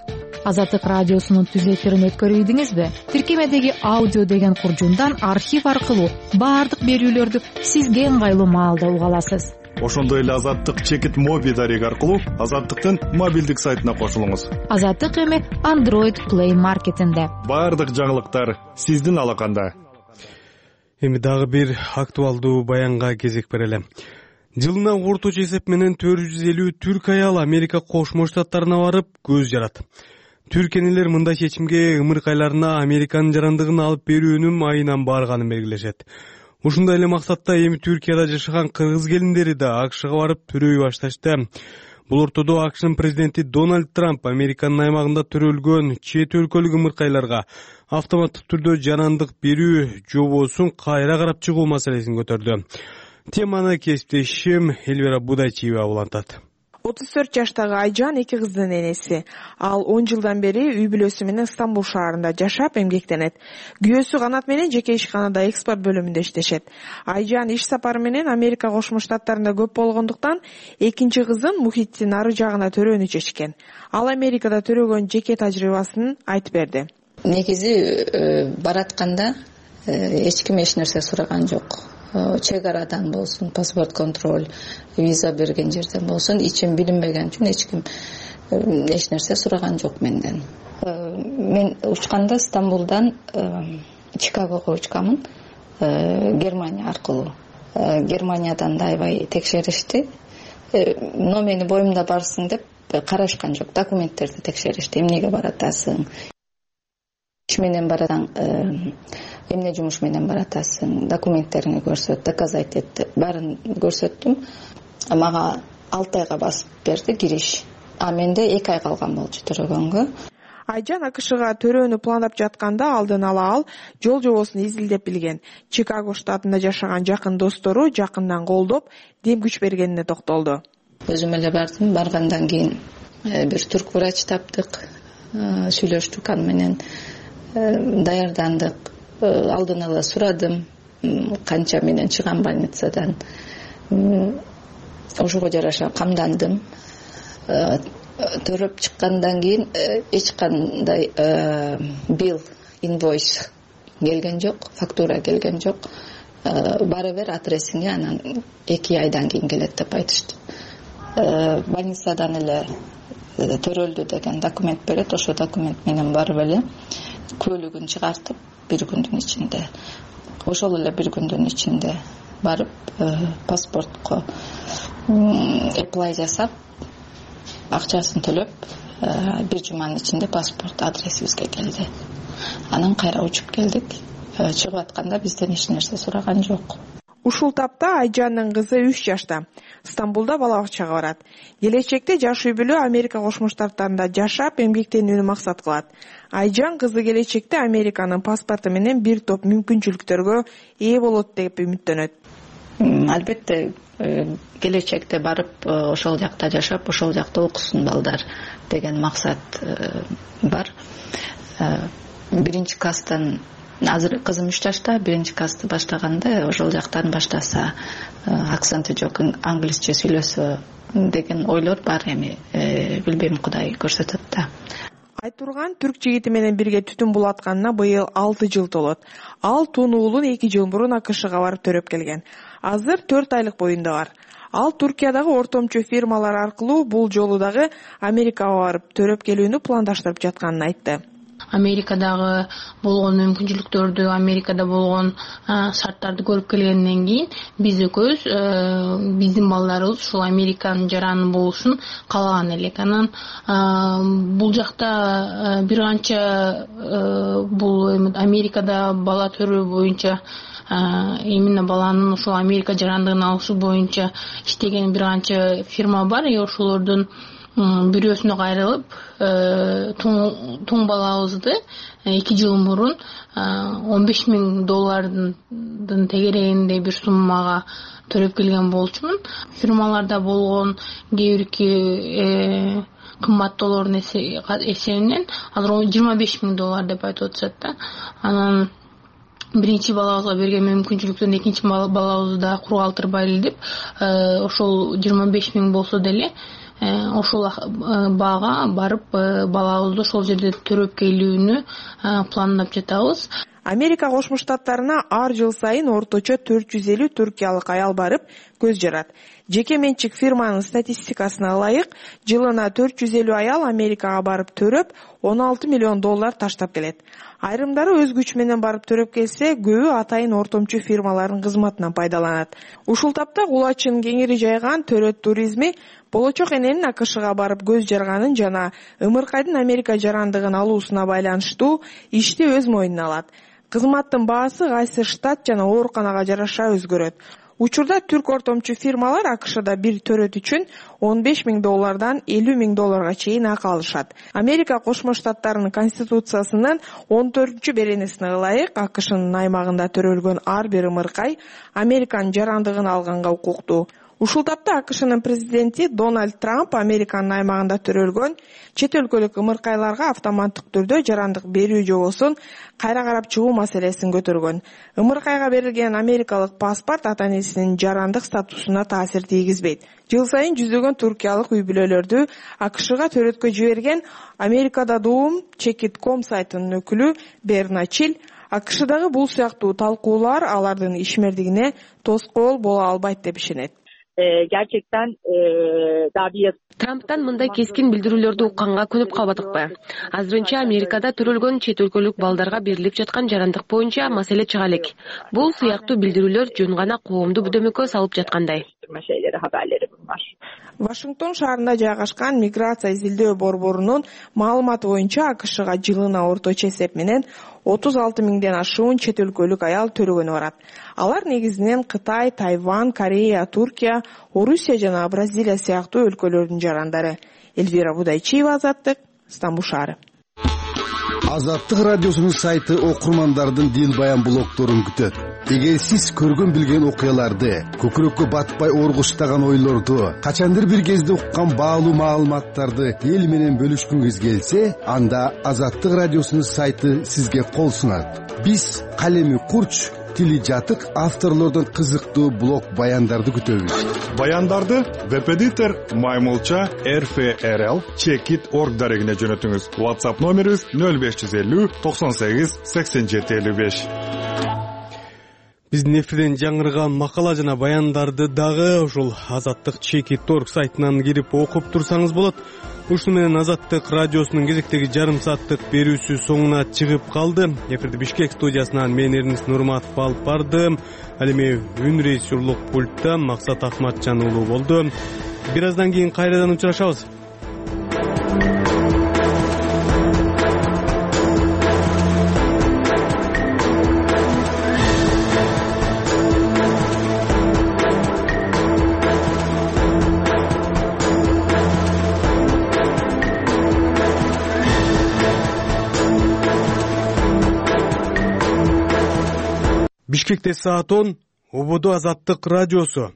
Азаттык радиосунун түз эфирин өткөрүйдүңүзбү? Тиркемедеги аудио деген куржундан архив аркылуу баардык берүүлөрдү сизге ыңгайлуу маалда уга аласыз. Ошондой эле Азаттык чекит моби дареги аркылуу Азаттыктын мобилдик сайтына кошулуңуз. Азаттык эми Android Play Market'инде. Баардык жаңылыктар сиздин алаканда. Эми дагы бир актуалдуу баянга кезек берели. Жылына орточо эсеп менен 450 түрк аял Америка Кошмо Штаттарына барып көз жарат. Түркенелер мындай чечимге ымыркайларына Американын жарандыгын алып берүүнүн айынан барганын белгилешет. Ушундай эле максатта эми Түркияда жашаган кыргыз келиндери да АКШга барып төрөй башташты. Бул ортодо АКШнын президенти Дональд Трамп Американын аймагында төрөлгөн чет өлкөлүк ымыркайларга автоматтык түрдө жарандык берүү жобосун кайра карап чыгуу маселесин көтөрдү. Теманы кесиптешим Элвира Будайчиева улантат. 34 жаштагы Айжан 2 кыздын энеси. Ал 10 жылдан бери үй бүлөсү менен Стамбул шаарында жашап эмгектенет. Күйөөсү Канат менен жеке ишканада экспорт бөлүмүндө иштешет. Айжан иш сапары менен Америка Кошмо Штаттарында көп болгондуктан экинчи кызын мухиттин ары жагына төрөөнү чечкен. Ал Америкада төрөгөн жеке тажрыйбасын айтып берди. Негизи баратканда эч ким эч нерсе сураган жок. Чек арадан болсун, паспорт контроль, виза берген жерден болсун, ичим билинбеген үчүн эч ким эч нерсе сураган жок менден. Мен учканда Стамбулдан Чикагого учкамын, Германия аркылуу. Германиядан да аябай текшеришти. Но мени боюмда барсың деп карашкан жок, документтерди текшеришти. Эмнеге баратасың? Иш менен баратаң, эмне жумуш менен баратасың, документтериңи көрсөт, доказать эт, баарын көрсөттүм. Мага 6 айга басып берди кириш. А менде 2 ай калган болчу төрөгөнгө. Айжан АКШга төрөөнү пландап жатканда алдын ала ал жол жобосун изилдеп билген. Чикаго штатында жашаган жакын достору жакындан колдоп, дем күч бергенине токтолду. Өзүм эле бардым, баргандан кийин бир түрк врач таптык, сүйлөштүк аны менен. даярдандык, алдын ала сурадым канча менен чыгам больницадан. Ошого жараша камдандым. Төрөп чыккандан кийин эч кандай бил, инвойс келген жок, фактура келген жок. Бары бер адресиңе анан 2 айдан кийин келет деп айтышты. Больницадан эле төрөлдү деген документ берет. Ошо документ менен барып эле көлүгүн чыгартып 1 күндүн ичинде, ошол эле 1 күндүн ичинде барып паспортко apply жасап, акчасын төлөп, 1 жуманын ичинде паспорт адресибизге келди. Анан кайра учуп келдик. Чыгып атканда бизден эч нерсе сураган жок. Ушул тапта Айжандын кызы 3 жашта. Стамбулда бала бакчага барат. Келечекте жаш үй бүлө Америка Кошмо Штаттарында жашап, эмгектенүүнү максат кылат. Айжан кызы келечекте Американын паспорту менен бир топ мүмкүнчүлүктөргө ээ болот деп үмүттөнөт. Албетте келечекте барып ошол жакта жашап, ошол жакта окусун балдар деген максат бар. Биринчи класстан азыр кызым 3 жашта, биринчи классты баштаганда ошол жактан баштаса, акценти жок англисче сүйлөсө деген ойлор бар. Эми билбейм, Кудай көрсөтөт да. Айтурган түрк жигити менен бирге түтүн булатканына быйыл 6 жыл толот. Ал тун уулун 2 жыл мурун АКШга барып төрөп келген. Азыр 4 айлык боюнда бар. Ал Туркиядагы ортомчу фирмалар аркылуу бул жолу дагы Америкага барып төрөп келүүнү пландаштырып жатканын айтты. Америкадагы болгон мүмкүнчүлүктөрдү, Америкада болгон шарттарды көрүп келгенден кийин биз экөөбүз биздин балдарыбыз ушул Американын жараны болушун каалаган элек. Анан бул жакта бир канча бул Америкада бала төрөө боюнча, именно баланын ушул Америка жарандыгын алышы боюнча иштеген бир канча фирма бар. Ошолордун бирөөсүнө кайрылып, тун балабызды 2 жыл мурун $15,000 тегерегинде бир суммага төрөп келген болчумун. Фирмаларда болгон кээ бирки кымбаттоолордун эсебинен азыр $25,000 деп айтып атышат да. Анан биринчи балабызга берген мүмкүнчүлүктөн экинчи балабызды да кур калтырбайлы деп, ошол 25,000 болсо деле ошол баага барып балабызды ошол жерде төрөп келүүнү пландап жатабыз. Америка Кошмо Штаттарына ар жыл сайын орточо 450 туркиялык аял барып көз жарат. Жеке менчик фирманын статистикасына ылайык, жылына 450 аял Америкага барып төрөп, $16 миллион таштап келет. Айрымдары өз күчү менен барып төрөп келсе, көбү атайын ортомчу фирмалардын кызматынан пайдаланат. Ушул тапта кулачын кеңири жайган төрөт туризми болочок эненин АКШга барып көз жарганын жана ымыркайдын Америка жарандыгын алуусуна байланыштуу ишти өз мойнуна алат. Кызматтын баасы кайсы штат жана ооруканага жараша өзгөрөт. Учурда түрк ортомчу фирмалар АКШда бир төрөт үчүн $15,000 $50,000 чейин акы алышат. Америка Кошмо Штаттарынын конституциясынын 14-беренесине ылайык АКШнын аймагында төрөлгөн ар бир ымыркай Американын жарандыгын алганга укуктуу. Ушул тапта АКШнын президенти Дональд Трамп Американын аймагында төрөлгөн чет өлкөлүк ымыркайларга автоматтык түрдө жарандык берүү жобосун кайра карап чыгуу маселесин көтөргөн. Ымыркайга берилген америкалык паспорт ата-энесинин жарандык статусуна таасир тийгизбейт. Жыл сайын жүздөгөн туркиялык үй бүлөлөрдү АКШга төрөткө жиберген Америкада Доом Check.com сайтынын өкүлү Берна Чил АКШдагы бул сыяктуу талкуулар алардын ишмердигине тоскоол боло албайт деп ишенет. Gerçekten daha bir Трамптан мындай кескин билдирүүлөрдү укканга көнүп калбадыкпы? Азырынча Америкада төрөлгөн чет өлкөлүк балдарга берилип жаткан жарандык боюнча маселе чыга элек. Бул сыяктуу билдирүүлөр жөн гана коомду бүдөмөккө салып жаткандай. Вашингтон шаарында жайгашкан миграция изилдөө борборунун маалыматы боюнча АКШга жылына орточо эсеп менен 36 миңден ашуун чет өлкөлүк аял төрөгөнү барат. Алар негизинен Кытай, Тайвань, Корея, Туркия, Орусия жана Бразилия сыяктуу өлкөлөрдүн жарандары. Эльвира Будайчиева, Азаттык, Стамбул шаары. Азаттык радиосунун сайты окурмандардын дил баян блогдорун күтөт. эгер сиз көргөн билген окуяларды, көкүрөккө батпай оргуштаган ойлорду, качандыр бир кезде уккан баалуу маалыматтарды эл менен бөлүшкүңүз келсе, анда Азаттык радиосунун сайты сизге кол сунат. Биз калеми курч, тили жатык авторлордон кызыктуу блог баяндарды күтөбүз. Баяндарды веб-эдитор Маймылча RFRL Checkit.org дарегине жөнөтүңүз. WhatsApp номерибиз 0550 98 87 55. Биздин эфирден жаңырган макала жана баяндарды дагы ушул Азаттык Checkit.org сайтынан кирип окуп турсаңыз болот. Ушуну менен Азаттык радиосунун кезектеги жарым сааттык берүүсү соңуна чыгып калды. Эфирди Бишкек студиясынан мен Эрнис Нурматов алып бардым. Ал эми үн режиссерлук пультта Максат Акматжан уулу болду. Бир аздан кийин кайрадан учурашабыз. Бишкекте саат 10, Ободо Азаттык радиосу.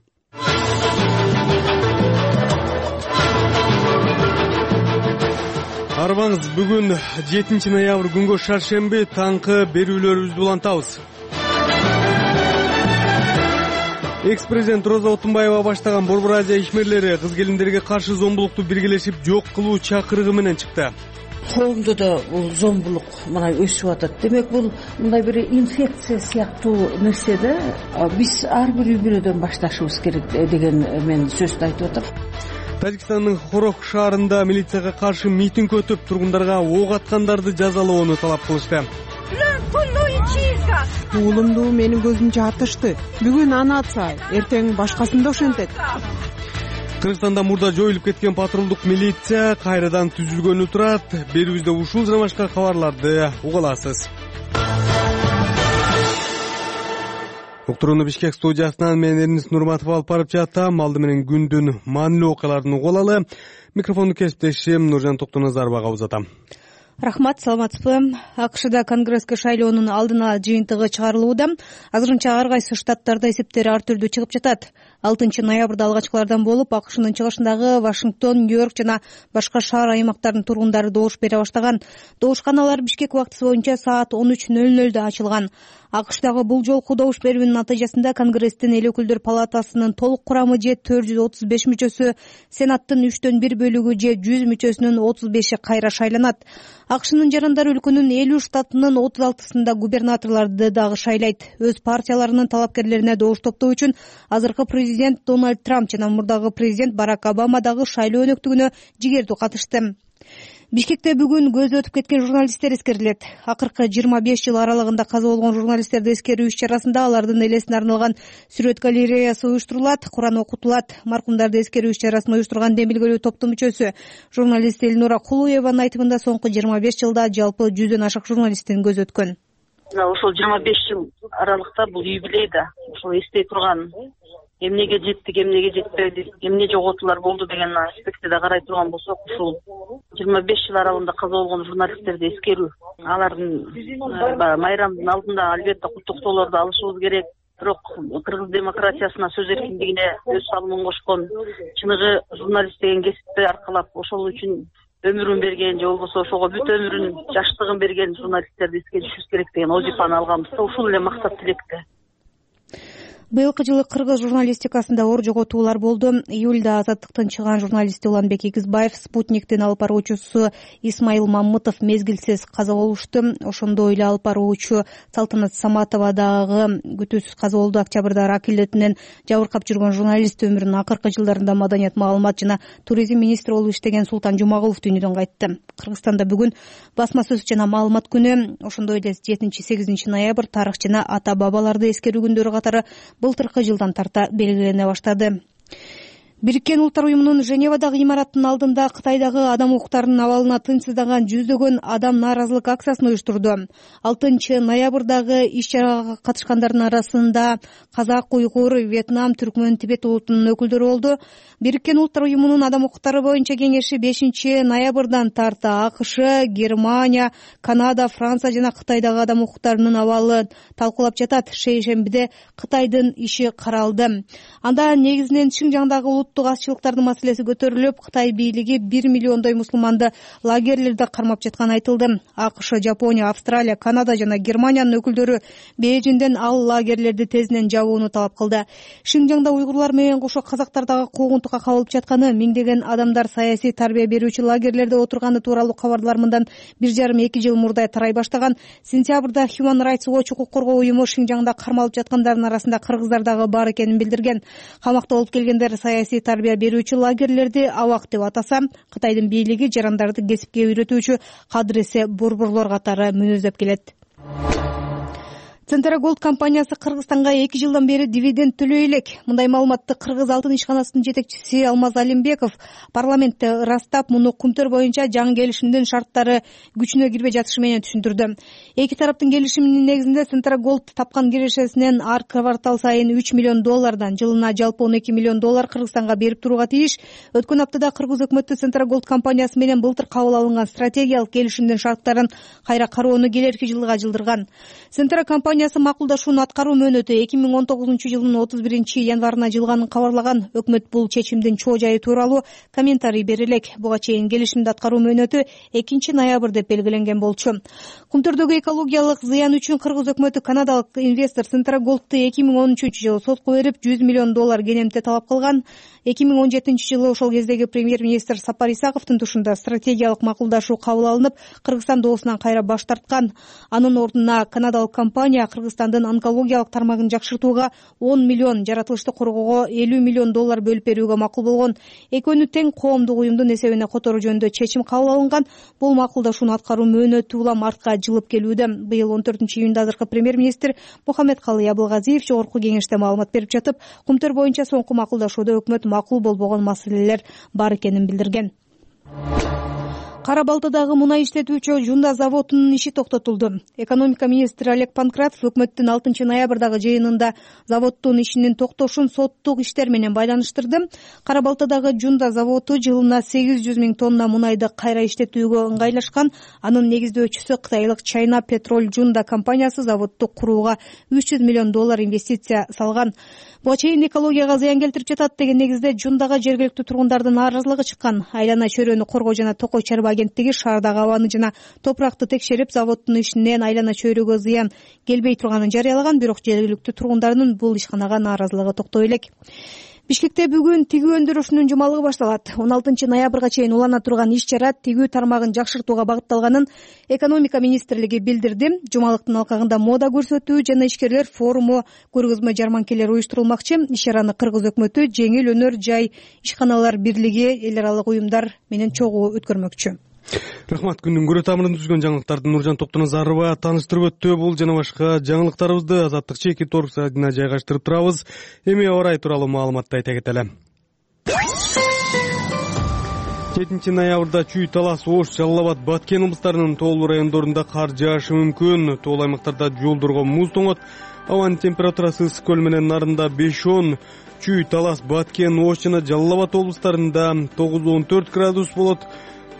Арбаңыз, бүгүн 7 ноябрь күнгө шаршемби таңкы берүүлөрүбүздү улантабыз. Экс-президент Роза Отунбаева баштаган Борбор Азия ишмерлери кыз келиндерге каршы зомбулукту биргелешип жок кылуу чакырыгы менен чыкты. Коомдо да бул зомбулук мына өсүп атат. Демек бул мындай бир инфекция сыяктуу нерсе да. Биз ар бир үй бүлөдөн башташыбыз керек деген мен сөздү айтып атам. Тажикстандын Хорох шаарында милицияга каршы митинг өтүп, тургундарга ок аткандарды жазалоону талап кылышты. Уулумду менин көзүм жатышты. Бүгүн аны атса, эртең башкасын да ошентет. Кыргызстанда мурда жоюлуп кеткен патрулдук милиция кайрадан түзүлгөнү турат. Берүүбүздө ушул жана башка кабарларды уга аласыз. Уктурууну Бишкек студиясынан мен Эрнис Нурматов алып барып жатам. Алды менен күндүн маанилүү окуяларын уга алалы. Микрофонду кесиптешим Нуржан Токтоназаровага узатам. Рахмат, саламатсызбы? АКШда конгресске шайлоонун алдына жыйынтыгы чыгарылууда. Азырынча ар кайсы штаттарда эсептер ар түрдүү чыгып жатат. 6 ноябрда алгачкылардан болуп, АКШнын чыгышындагы Вашингтон, Нью-Йорк жана башка шаар аймактарынын тургундары добуш бере баштаган. Добушканалар Бишкек убактысы боюнча саат 13:00 ачылган. АКШдагы бул жолку добуш берүүнүн натыйжасында Конгресстин эл өкүлдөр палатасынын толук курамы же 435 мүчөсү, Сенаттын 3/1 бөлүгү же 100 мүчөсүнүн 35 кайра шайланат. АКШнын жарандар өлкөнүн 50 штатынын 36-сында губернаторлорду дагы шайлайт. Өз партияларынын талапкерлерине добуш топтоо үчүн азыркы президент Дональд Трамп жана мурдагы президент Барак Обама дагы шайлоо өнөктүгүнө жигердүү катышты. Бишкекте бүгүн көзү өтүп кеткен журналисттер эскерилет. Акыркы 25 жыл аралыгында каза болгон журналисттерди эскерүү иш-чарасында алардын элесине арналган сүрөт галереясы уюштурулат, Куран окутулат. Маркумдарды эскерүү иш-чарасын уюштурган демилгелүү топтун мүчөсү журналист Элнура Кулуеванын айтымында соңку 25 жылда жалпы 100дөн ашык журналисттин көзү өткөн. Ошол 25 жыл аралыкта бул юбилей да, ошол эстей турган, эмнеге жеттик, эмнеге жетпедик, эмне жоготуулар болду деген аспектиде карай турган болсок, ушул 25 жыл аралыгында каза болгон журналисттерди эскерүү, алардын майрамдын алдында албетте куттуктоолорду алышыбыз керек. Бирок кыргыз демократиясына, сөз эркиндигине өз салымын кошкон, чыныгы журналист деген кесипти аркалап ошол үчүн өмүрүн берген же болбосо ошого бүт өмүрүн, жаштыгын берген журналисттерди эскеришибиз керек деген вазифаны алганбыз. Ушул эле максат тилекте. Быйылкы жылы кыргыз журналистикасында оор жоготуулар болду. Июлда Азаттыктын чыган журналисти Уланбек Игизбаев, Спутниктин алып баруучусу Исмайыл Мамытов мезгилсиз каза болушту. Ошондой эле алып баруучу Салтанат Саматова дагы күтүүсүз каза болду. Октябрда рак илетинен жабыркап жүргөн журналист өмүрүнүн акыркы жылдарында маданият, маалымат жана туризм министри болуп иштеген Султан Жумагулов дүйнөдөн кайтты. Кыргызстанда бүгүн басма сөз жана маалымат күнү. Ошондой эле 7-8 ноябрь тарых жана ата бабаларды эскерүү күндөрү катары былтыркы жылдан тарта белгилене баштады. Бириккен Улуттар уюмунун Женевадагы имараттын алдында Кытайдагы адам укуктарынын абалына тынчсыздаган жүздөгөн адам нааразылык акциясын уюштурду. 6 ноябрдагы иш-чарага катышкандардын арасында казак, уйгур, Вьетнам, түркмөн, Тибет улутунун өкүлдөрү болду. Бириккен Улуттар уюмунун адам укуктары боюнча кеңеши 5 ноябрдан тарта АКШ, Германия, Канада, Франция жана Кытайдагы адам укуктарынын абалын талкуулап жатат. Шейшембиде Кытайдын иши каралды. Анда негизинен Шинжаңдагы улуттук азчылыктардын маселеси көтөрүлүп, Кытай бийлиги 1 миллиондой мусулманды лагерлерде кармап жатканы айтылды. АКШ, Жапония, Австралия, Канада жана Германиянын өкүлдөрү Бейжиңден ал лагерлерди тезинен жабууну талап кылды. Шинжаңда уйгурлар менен кошо казактар дагы куугунтукка кабылып жатканы, миңдеген адамдар саясий тарбия берүүчү лагерлерде отурганы тууралуу кабарлар мындан 1,5-2 жыл мурда тарай баштаган. Сентябрда Human Rights Watch укук коргоо уюму Шинжаңда кармалып жаткандардын арасында кыргыздар дагы бар экенин билдирген. Камакта болуп келгендер саясий тарбия берүүчү лагерлерди абак деп атаса, Кытайдын бийлиги жарандарды кесипке үйрөтүүчү кадыресе борборлор катары мүнөздөп келет. Центроголд компаниясы Кыргызстанга 2 жылдан бери дивиденд төлөй элек. Мындай маалыматты Кыргыз алтын ишканасынын жетекчиси Алмаз Алимбеков парламентте ырастап, муну Кумтөр боюнча жаңы келишимдин шарттары күчүнө кирбей жатышы менен түшүндүрдү. Эки тараптын келишиминин негизинде Центроголд тапкан кирешесинен ар квартал сайын $3 миллион жылына жалпы $12 миллион Кыргызстанга берип турууга тийиш. Өткөн аптада Кыргыз өкмөтү Центроголд компаниясы менен былтыр кабыл алынган стратегиялык келишимдин шарттарын кайра кароону келерки жылга жылдырган. Центра компаниясы макулдашууну аткаруу мөөнөтү 2019 жылдын 31 январына жылганын кабарлаган. Өкмөт бул чечимдин чоо жайы тууралуу комментарий бере элек. Буга чейин келишимди аткаруу мөөнөтү 2 ноябрь деп белгиленген болчу. Кумтөрдөгү экологиялык зыян үчүн Кыргыз өкмөтү канадалык инвестор Центроголдду 2013 жылы сотко берип $100 миллион кенемте талап кылган. 2017 жылы ошол кездеги премьер-министр Сапар Исаковдун тушунда стратегиялык макулдашуу кабыл алынып, Кыргызстан доосунан кайра баш тарткан. Анын ордуна канадалык компания Кыргызстандын онкологиялык тармагын жакшыртууга $10 миллион, жаратылышты коргоого $50 миллион бөлүп берүүгө макул болгон. Экөөнү тең коомдук уюмдун эсебине которуу жөнүндө чечим кабыл алынган. Бул макулдашууну аткаруу мөөнөтү улам артка жылып келүүдө. Быйыл 14 июнда азыркы премьер-министр Мухаммедкалый Абылгазиев жогорку кеңеште маалымат берип жатып, Кумтөр боюнча соңку макулдашууда өкмөт макул болбогон маселелер бар экенин билдирген. Кара Балтадагы мунай иштетүүчү Жунда заводунун иши токтотулду. Экономика министри Олег Панкратов өкмөттүн 6 ноябрдагы жыйынында заводдун ишинин токтошун соттук иштер менен байланыштырды. Кара Балтадагы Жунда заводу жылына 800 000 тонна мунайды кайра иштетүүгө ыңгайлашкан. Анын негиздөөчүсү кытайлык China Petrol Junda компаниясы заводду курууга $300 миллион инвестиция салган. Буга чейин экологияга зыян келтирип жатат деген негизде Жундага жергиликтүү тургундардын нааразылыгы чыккан. Айлана чөйрөнү коргоо жана токой чарба агенттиги шаардагы абаны жана топуракты текшерип, заводдун ишинен айлана чөйрөгө зыян келбей турганын жарыялаган, бирок жергиликтүү тургундардын бул ишканага нааразылыгы токтой элек. Бишкекте бүгүн тигүү өндүрүшүнүн жумалыгы башталат. 16 ноябрга чейин улана турган иш-чара тигүү тармагын жакшыртууга багытталганын экономика министрлиги билдирди. Жумалыктын алкагында мода көрсөтүү жана ишкерлер форуму, көргөзмө жарманкелер уюштурулмакчы. Иш-чараны Кыргыз өкмөтү жеңил өнөр жай ишканалар бирлиги эл аралык уюмдар менен чогуу өткөрмөкчү. Рахмат. Күндүн көрө тамырын түзгөн жаңылыктарды Нуржан Токтоназарова таныштырып өттү. Бул жана башка жаңылыктарыбызды Азаттык чеки торг сайтына жайгаштырып турабыз. Эми орай тууралуу маалыматты айта кетели. 7 ноябрда Чүй, Талас, Ош, Жалал Абад, Баткен облустарынын тоолуу райондорунда кар жаашы мүмкүн. Тоол аймактарда жолдорго муз тоңот. Абанын температурасы ысык көл менен нарында 5-10, Чүй, Талас, Баткен, Ош жана Жалал Абад облустарында 9-14 градус болот.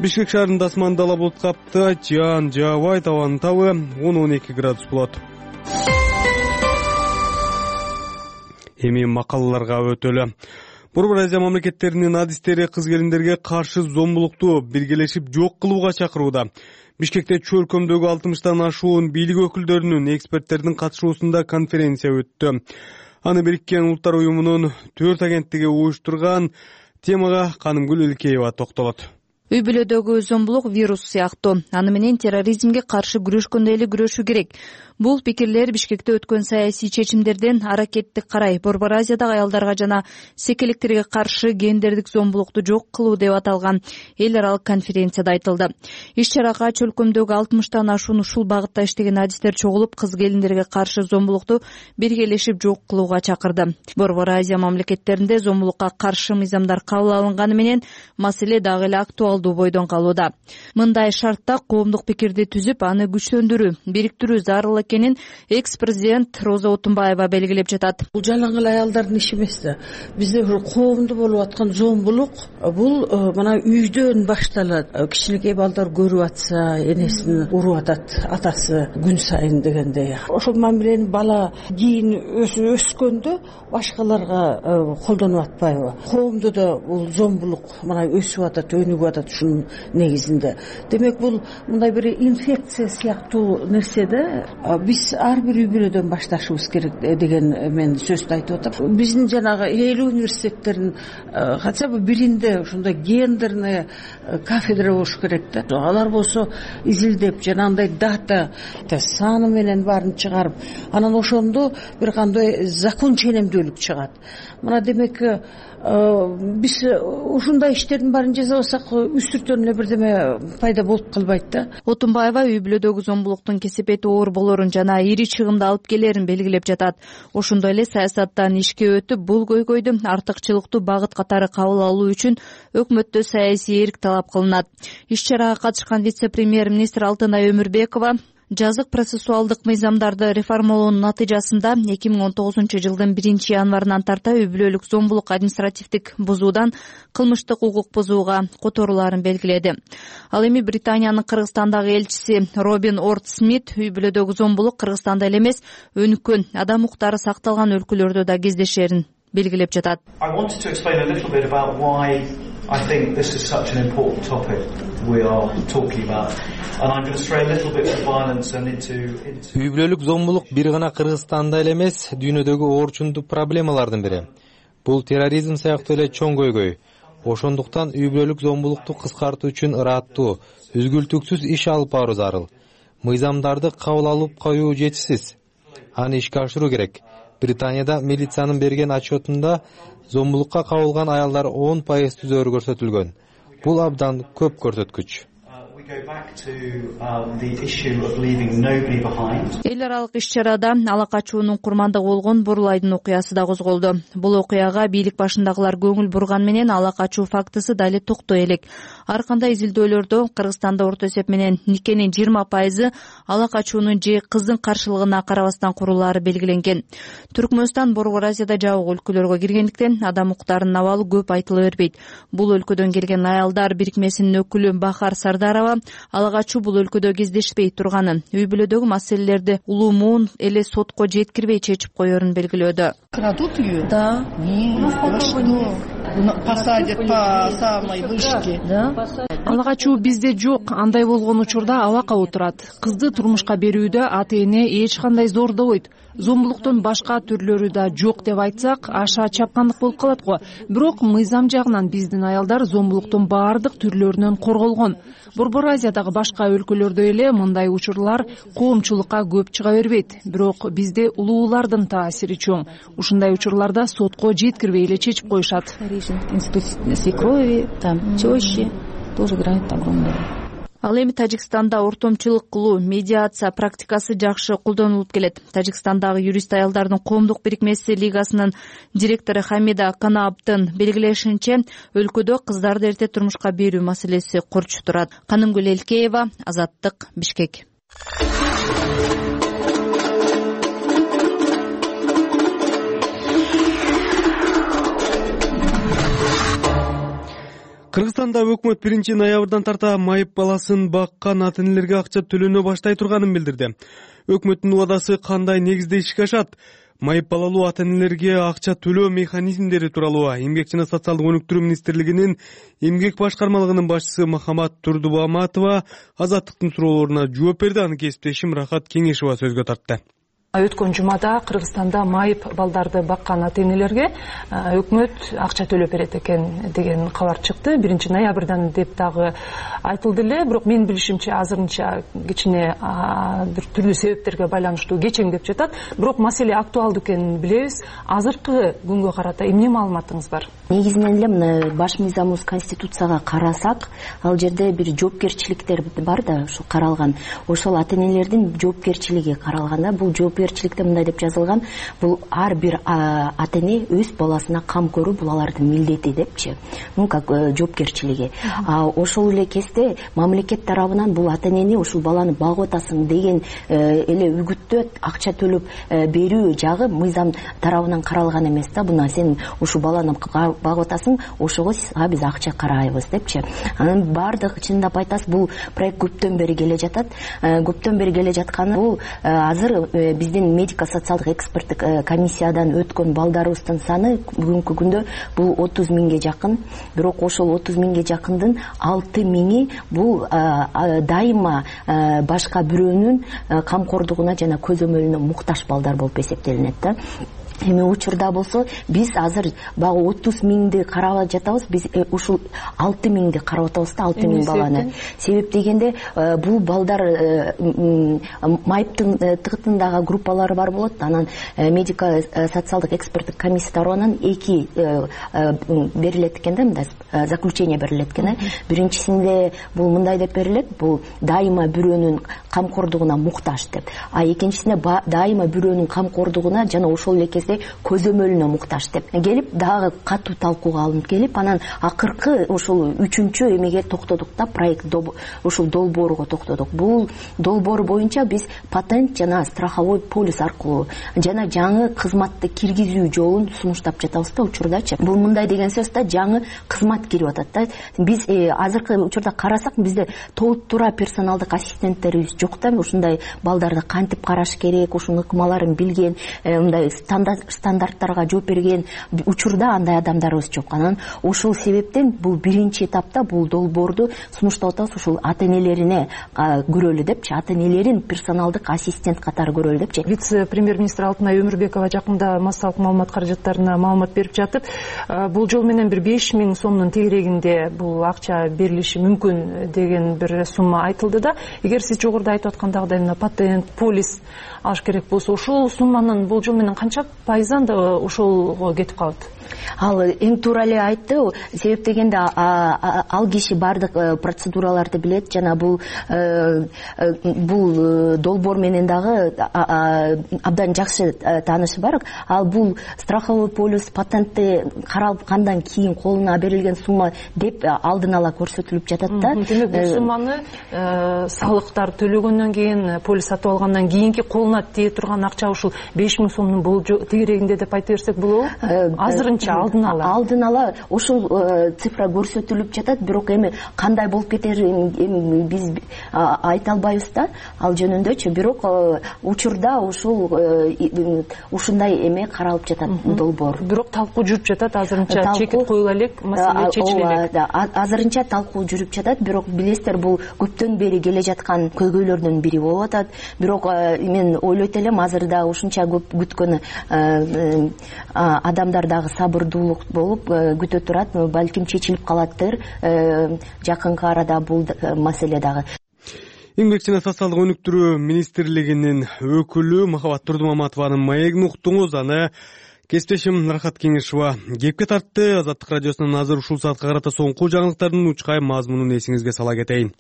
Бишкек шаарында асманда ала булут капты, жаан жаабайт, абанын табы 10-12 градус болот. Эми макалаларга өтөлү. Борбор Азия мамлекеттеринин адистери кыз келиндерге каршы зомбулукту биргелешип жок кылууга чакырууда. Бишкекте чөлкөмдөгү 60тан ашуун бийлик өкүлдөрүнүн, эксперттердин катышуусунда конференция өттү. Аны Бириккен Улуттар уюмунун 4 агенттиги уюштурган. Темага Канымгүл Илкеева токтолот. Үй бүлөдөгү зомбулук вирус сыяктуу. Аны менен терроризмге каршы күрөшкөндөй эле күрөшүү керек. Бул пикирлер Бишкекте өткөн саясий чечимдерден аракетти карай Борбор Азиядагы аялдарга жана секелектерге каршы гендердик зомбулукту жок кылуу деп аталган эл аралык конференцияда айтылды. Иш-чарага чөлкөмдөгү 60тан ашуун ушул багытта иштеген адистер чогулуп, кыз келиндерге каршы зомбулукту биргелешип жок кылууга чакырды. Борбор Азия мамлекеттеринде зомбулукка каршы мыйзамдар кабыл алынганы менен маселе дагы эле актуалдуу бойдон калууда. Мындай шартта коомдук пикирди түзүп, аны күчтөндүрүү, бириктирүү зарыл экенин экс-президент Роза Отунбаева белгилеп жатат. Бул жалаң эле аялдардын иши эмес да. Бизде коомдо болуп аткан зомбулук бул мына үйдөн башталат. Кичинекей балдар көрүп атса, энесин уруп атат атасы күн сайын дегендей. Ошол мамилени бала кийин өскөндө башкаларга колдонуп атпайбы? Коомдо да бул зомбулук мына өсүп атат, өнүгүп атат ушунун негизинде. Демек бул мындай бир инфекция сыяктуу нерсе да. Биз ар бир үй бүлөдөн башташыбыз керек деген мен сөздү айтып атам. Биздин жанагы эл университеттерин хотя бы биринде ушундай гендерный кафедра болуш керек да. Алар болсо изилдеп жанагындай дата саны менен баарын чыгарып, анан ошондо бир кандай закон ченемдүүлүк чыгат. Мына демек биз ушундай иштердин баарын жасабасак үстүртөн эле бирдеме пайда болуп калбайт да. Отунбаева үй бүлөдөгү зомбулуктун кесепети оор болорун жана ири чыгымды алып келерин белгилеп жатат. Ошондой эле саясаттан ишке өтүп, бул көйгөйдү артыкчылыктуу багыт катары кабыл алуу үчүн өкмөттө саясий эрк талап кылынат. Иш-чарага катышкан вице-премьер-министр Алтынай Өмүрбекова жазык процессуалдык мыйзамдарды реформалоонун натыйжасында 2019-жылдын 1-январынан тарта үй бүлөлүк зомбулук административдик бузуудан кылмыштык укук бузууга которууларын белгиледи. Ал эми Британиянын Кыргызстандагы элчиси Робин Орт Смит үй бүлөдөгү зомбулук Кыргызстанда эле эмес, өнүккөн адам укуктары сакталган өлкөлөрдө да кездешерин белгилеп жатат. I think this is such an important topic we are talking about. And I'm going to stray a little bit to violence and into Үй бүлөлүк зомбулук бир гана Кыргызстанда эле эмес, дүйнөдөгү оорчундуу проблемалардын бири. Бул терроризм сыяктуу эле чоң көйгөй. Ошондуктан үй бүлөлүк зомбулукту кыскартуу үчүн ыраттуу, үзгүлтүксүз иш алып баруу зарыл. Мыйзамдарды кабыл алып коюу жетишсиз. Аны ишке ашыруу керек. Британияда милициянын берген отчетунда зомбулукка кабылган аялдар 10% түзөрү көрсөтүлгөн. Бул абдан көп көрсөткүч. Эл аралык иш-чарада ала качуунун курмандыгы болгон Бурлайдын окуясы да козголду. Бул окуяга бийлик башындагылар көңүл бурган менен ала качуу фактысы дали токтой элек. Ар кандай изилдөөлөрдө Кыргызстанда орто эсеп менен никенин 20% ала качуунун же кыздын каршылыгына карабастан курулаары белгиленген. Түркмөнстан Борбор Азияда жабык өлкөлөргө киргендиктен адам укуктарынын абалы көп айтыла бербейт. Бул өлкөдөн келген аялдар бирикмесинин өкүлү Бахар Сардарова ала качуу бул өлкөдө кездешпей турганын, үй бүлөдөгү маселелерди улуумун эле сотко жеткирбей чечип коерун белгилөөдө. Крадут ее? Да. Посадят по самой вышке. Ала качуу бизде жок. Андай болгон учурда абакка отурат. Кызды турмушка берүүдө ата-эне эч кандай зордобойт. Зомбулуктун башка түрлөрү да жок деп айтсак, аша чапкандык болуп калат го. Бирок мыйзам жагынан биздин аялдар зомбулуктун баардык түрлөрүнөн корголгон. Борбор Азиядагы башка өлкөлөрдө эле мындай учурлар коомчулукка көп чыга бербейт. Бирок бизде улуулардын таасири чоң. Ушундай учурларда сотко жеткирбей эле чечип коюшат. Институт свекрови, там тещи тоже играют огромную роль. Ал эми Тажикстанда ортомчулук кылуу, медиация практикасы жакшы колдонулуп келет. Тажикстандагы юрист аялдардын коомдук бирикмеси лигасынын директору Хамида Канаабдын белгилешинче, өлкөдө кыздарды эрте турмушка берүү маселеси корчу турат. Канымгүл Элкеева, Азаттык, Бишкек. Кыргызстанда өкмөт 1-ноябрдан тарта майып баласын баккан ата-энелерге акча төлөнө баштай турганын билдирди. Өкмөттүн убадасы кандай негизде ишке ашат? Майып балалуу ата-энелерге акча төлөө механизмдери тууралуу Эмгек жана социалдык өнүктүрүү министрлигинин эмгек башкармалыгынын башчысы Махамат Турдубаматова Азаттыктын суроолоруна жооп берди. Аны кесиптешим Рахат Кеңешова сөзгө тартты. Өткөн жумада Кыргызстанда майып балдарды баккан ата-энелерге өкмөт акча төлөп берет экен деген кабар чыкты. 1-ноябрдан деп дагы айтылды эле, бирок менин билишимче азырынча кичине бир түрлүү себептерге байланыштуу кечең деп жатат. Бирок маселе актуалдуу экенин билебиз. Азыркы күнгө карата эмне маалыматыңыз бар? Негизинен эле мына баш мыйзамыбыз Конституцияга карасак, ал жерде бир жоопкерчиликтер бар да, ошо каралган. Ошол ата-энелердин жоопкерчилиги каралганда, бул жоопкерчиликте мындай деп жазылган: бул ар бир ата-эне өз баласына кам көрүү бул алардын милдети депчи. Ну как жоопкерчилиги. Ошол эле кезде мамлекет тарабынан бул ата-энени ушул баланы багып атасың деген эле үгүттө акча төлөп берүү жагы мыйзам тарабынан каралган эмес да. Буна сен ушул баланы багып атасың, ошого биз акча карайбыз депчи. Анын бардыгы чындап айтасыз, бул проект көптөн бери келе жатат. Көптөн бери келе жатканы бул азыр биздин медико-социалдык эксперттик комиссиядан өткөн балдарыбыздын саны бүгүнкү күндө бул 30 миңге жакын. Бирок ошол 30 миңге жакындын 6 миңи бул дайыма башка бирөөнүн камкордугуна жана көзөмөлүнө муктаж балдар болуп эсептелинет да. Эми учурда болсо биз азыр багы 30 миңди карап жатабыз, биз ушул 6 миңди карап атабыз да, 6 миң баланы. Себеп дегенде бул балдар майыптын тыгытындагы группалары бар болот. Анан медико-социалдык эксперттик комиссия тарабынан 2 берилет экен да, мындай заключение берилет экен. Биринчисинде бул мындай деп берилет: бул дайыма бирөөнүн камкордугуна муктаж деп. Экинчисинде дайыма бирөөнүн камкордугуна жана ошол эле кезде көзөмөлүнө муктаж деп келип, дагы катуу талкууга алынып келип, анан акыркы ошол 3-чү эмеге токтодук да, проект ушул долбоорго токтодук. Бул долбоор боюнча биз патент жана страховой полис аркылуу жана жаңы кызматты киргизүү жолун сунуштап жатабыз да учурдачы. Бул мындай деген сөз да, жаңы кызмат кирип атат да. Биз азыркы учурда карасак, бизде толуктуура персоналдык ассистенттерибиз жок да. Ушундай балдарды кантип караш керек, ушунун ыкмаларын билген, мындай стандарттарга жооп берген учурда андай адамдарыбыз жок. Анан ушул себептен бул биринчи этапта бул долбоорду сунуштап атабыз, ушул ата-энелерине көрөлү депчи, ата-энелерин персоналдык ассистент катары көрөлү депчи. Вице-премьер-министр Алтынай Өмүрбекова жакында массалык маалымат каражаттарына маалымат берип жатып, бул жол менен бир 5 миң сомдун тегерегинде бул акча берилиши мүмкүн деген бир сумма айтылды да. Эгер сиз жогоруда айтып аткандагыдай мына патент, полис алыш керек болсо, ошол сумманын бул жол менен канча пайызан да ошолго кетип калат? Ал эң туура эле айтты. Себеп дегенде ал киши бардык процедураларды билет жана бул долбоор менен дагы абдан жакшы таанышы бар. Ал бул страховой полис, патентти каралгандан кийин колуна берилген сумма деп алдын ала көрсөтүлүп жатат да. Демек бул сумманы салыктар төлөгөндөн кийин, полис сатып алгандан кийинки колуна тие турган акча ушул 5 миң сомдун бул тегерегинде деп айта берсек болобу? Азырынча алдын ала ошол цифра көрсөтүлүп жатат. Бирок эми кандай болуп кетерин биз айта албайбыз да ал жөнүндөчү. Бирок учурда ушундай эме каралып жатат долбоор. Бирок талкуу жүрүп жатат, азырынча чекит коюла элек, маселе чечиле элек. Азырынча талкуу жүрүп жатат, бирок билесиздер, бул көптөн бери келе жаткан көйгөйлөрдүн бири болуп атат. Бирок мен ойлойт элем, азырда ушунча көп күткөн адамдар дагы сабырдуулук болуп күтө турат. Балким чечилип калаттыр жакынкы арада бул маселе дагы. Эмгек жана социалдык өнүктүрүү министрлигинин өкүлү Махабат Турдумаматованын маегин уктуңуз. Аны кесиптешим Рахат Кеңешова кепке тартты. Азаттык радиосунун азыр ушул саатка карата соңку жаңылыктардын учкай мазмунун эсиңизге сала кетейин.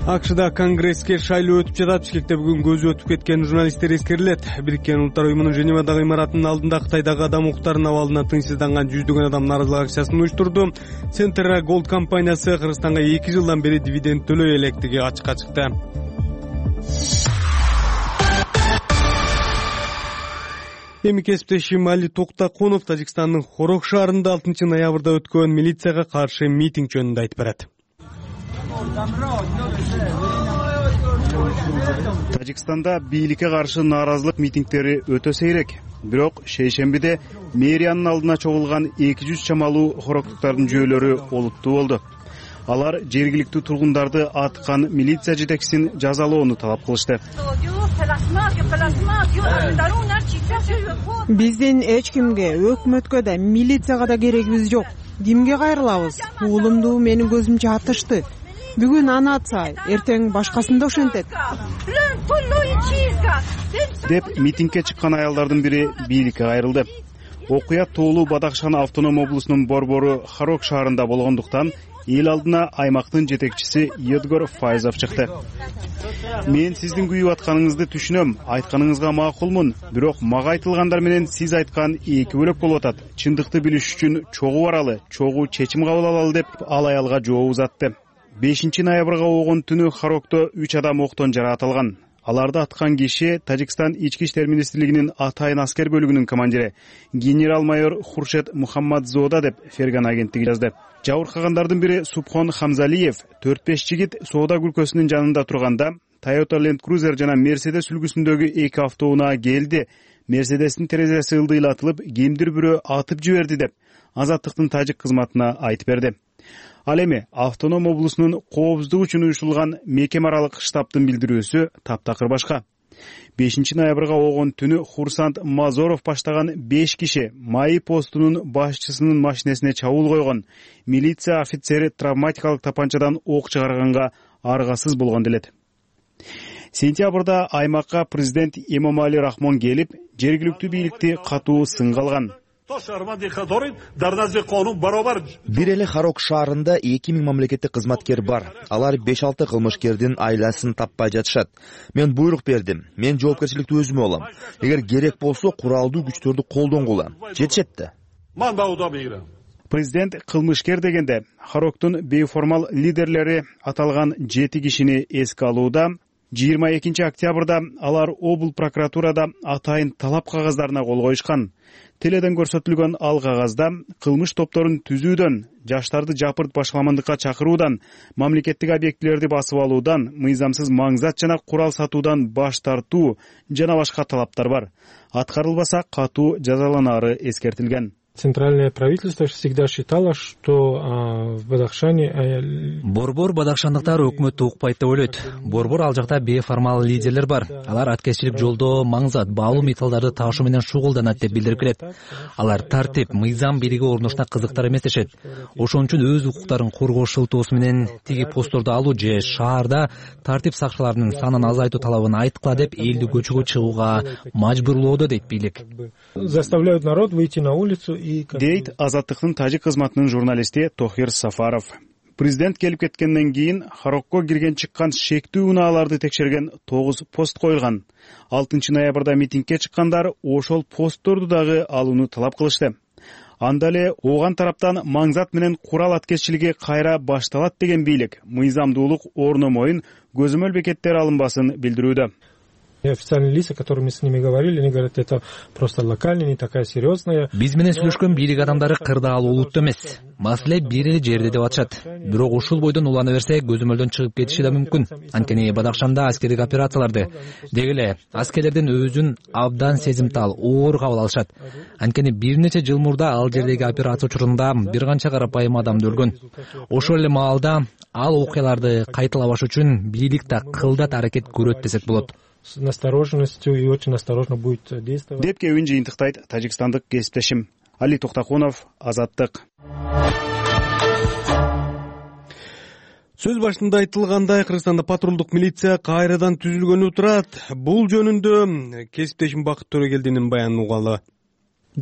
АКШда конгресске шайлоо өтүп жатат. Бишкекте бүгүн көзү өтүп кеткен журналисттер эскерилет. Бириккен Улуттар уюмунун Женевадагы имаратынын алдында Кытайдагы адам укуктарынын абалына тынчсызданган жүздөгөн адам нааразылык акциясын уюштурду. Центра Голд компаниясы Кыргызстанга 2 жылдан бери дивиденд төлөй электиги ачыкка чыкты. Эми кесиптешим Али Токтакунов Тажикстандын Хорог шаарында 6 ноябрда өткөн милицияга каршы митинг жөнүндө айтып берет. Тажикстанда бийликке каршы нааразылык митингдери өтө сейрек. Бирок шейшембиде мэриянын алдына чогулган 200 чамалуу хороктуктардын жүйөлөрү олуттуу болду. Алар жергиликтүү тургундарды аткан милиция жетекчисин жазалоону талап кылышты. Биздин эч кимге, өкмөткө да, милицияга да керегибиз жок. Кимге кайрылабыз? Уулумду менин көзүмчө атышты. Бүгүн аны атса, эртең башкасын да ошентет. Деп митингге чыккан аялдардын бири бийликке кайрылды. Окуя Тоолу Бадахшан автоном облусунун борбору Харок шаарында болгондуктан эл алдына аймактын жетекчиси Едгор Файзов чыкты. Мен сиздин күйүп атканыңызды түшүнөм, айтканыңызга макулмун, бирок мага айтылгандар менен сиз айткан эки бөлөк болуп атат. Чындыкты билиш үчүн чогуу баралы, чогуу чечим кабыл алалы деп ал аялга жооп узатты. 5 ноябрга огон түнү Харокто 3 адам октон жаракат. Аларды аткан киши Тажикстан ички иштер министрлигинин атайын аскер бөлүгүнүн командири генерал-майор Хуршет Мухаммадзода деп Ферган агенттиги жазды. Жабыркагандардын бири Субхон Хамзалиев 4-5 жигит соода күлкөсүнүн жанында турганда Toyota Land Cruiser жана Mercedes үлгүсүндөгү эки автоунаа келди. Мерседестин терезеси ылдыйлатылып, кимдир бирөө атып жиберди деп Азаттыктын тажик кызматына айтып берди. Ал эми автоном облусунун коопсуздук үчүн уюшулган мекеме аралык штабтын билдирүүсү таптакыр башка. 5 ноябрга огон түнү Хурсант Мазоров баштаган 5 киши МАИ постунун башчысынын машинесине чабуул койгон. Милиция офицери травматикалык тапанчадан ок чыгарганга аргасыз болгон делет. Сентябрда аймакка президент Эмомали Рахмон келип, жергиликтүү бийликти катуу сынга алган. Бир эле Харок шаарында 2000 мамлекеттик кызматкер бар. Алар 5-6 кылмышкердин айласын таппай жатышат. Мен буйрук бердим. Мен жоопкерчиликти өзүмө алам. Эгер керек болсо куралдуу күчтөрдү колдонгула. Жетишет да. Президент кылмышкер дегенде Хароктун бейформал лидерлери аталган 7 кишини эске алууда. 22 октябрда алар обл прокуратурада атайын талап кагаздарына кол коюшкан. Теледен көрсөтүлгөн ал кагазда кылмыш топторун түзүүдөн, жаштарды жапырт башкаламандыкка чакыруудан, мамлекеттик объектилерди басып алуудан, мыйзамсыз маңзат жана курал сатуудан баш тартуу жана башка талаптар бар. Аткарылбаса катуу жазаланары эскертилген. Центральное правительство всегда считало, что в Бадахшане... Борбор бадахшандыктар өкмөттү укпайт деп ойлойт. Борбор ал жакта бейформал лидерлер бар. Алар аткезчилик жолдо маңзат, баалуу металлдарды ташуу менен шугулданат деп билдирип келет. Алар тартип, мыйзам бийлиги орношуна кызыктар эмес дешет. Ошон үчүн өз укуктарын коргоо шылтоосу менен тиги постторду алуу же шаарда тартип сакчыларынын санын азайтуу талабын айткыла деп элди көчөгө чыгууга мажбурлоодо дейт бийлик. Заставляют народ выйти на улицу дейт Азаттыктын тажик кызматынын журналисти Тохир Сафаров. Президент келип кеткенден кийин Харокко кирген чыккан шектүү унааларды текшерген 9 пост коюлган. 6 ноябрда митингге чыккандар ошол постторду дагы алууну талап кылышты. Анда эле ооган тараптан маңзат менен курал аткезчилиги кайра башталат деген бийлик мыйзамдуулук орномойун көзөмөл бекеттер алынбасын билдирүүдө. Официальные лица, которыми с ними говорили, они говорят, это просто локальная, не такая серьезная. Биз менен сүйлөшкөн бийлик адамдары кырдаал улуттуу эмес. Маселе бир эле жерде деп атышат. Бирок ушул бойдон улана берсе көзөмөлдөн чыгып кетиши да мүмкүн. Анткени Бадахшанда аскердик операцияларды деги эле аскерлердин өзүн абдан сезимтал, оор кабыл алышат. Анткени бир нече жыл мурда ал жердеги операция учурунда бир канча карапайым адам өлгөн. Ошол эле маалда ал окуяларды кайталабаш үчүн бийлик да кылдат аракет көрөт десек болот. С настороженностью и очень осторожно будет действовать. Деп кебин жыйынтыктайт тажикстандык кесиптешим Али Токтакунов, Азаттык. Сөз башында айтылгандай, Кыргызстанда патрулдук милиция кайрадан түзүлгөнү турат. Бул жөнүндө кесиптешим Бакыт Төрөгелдинин баянын угалы.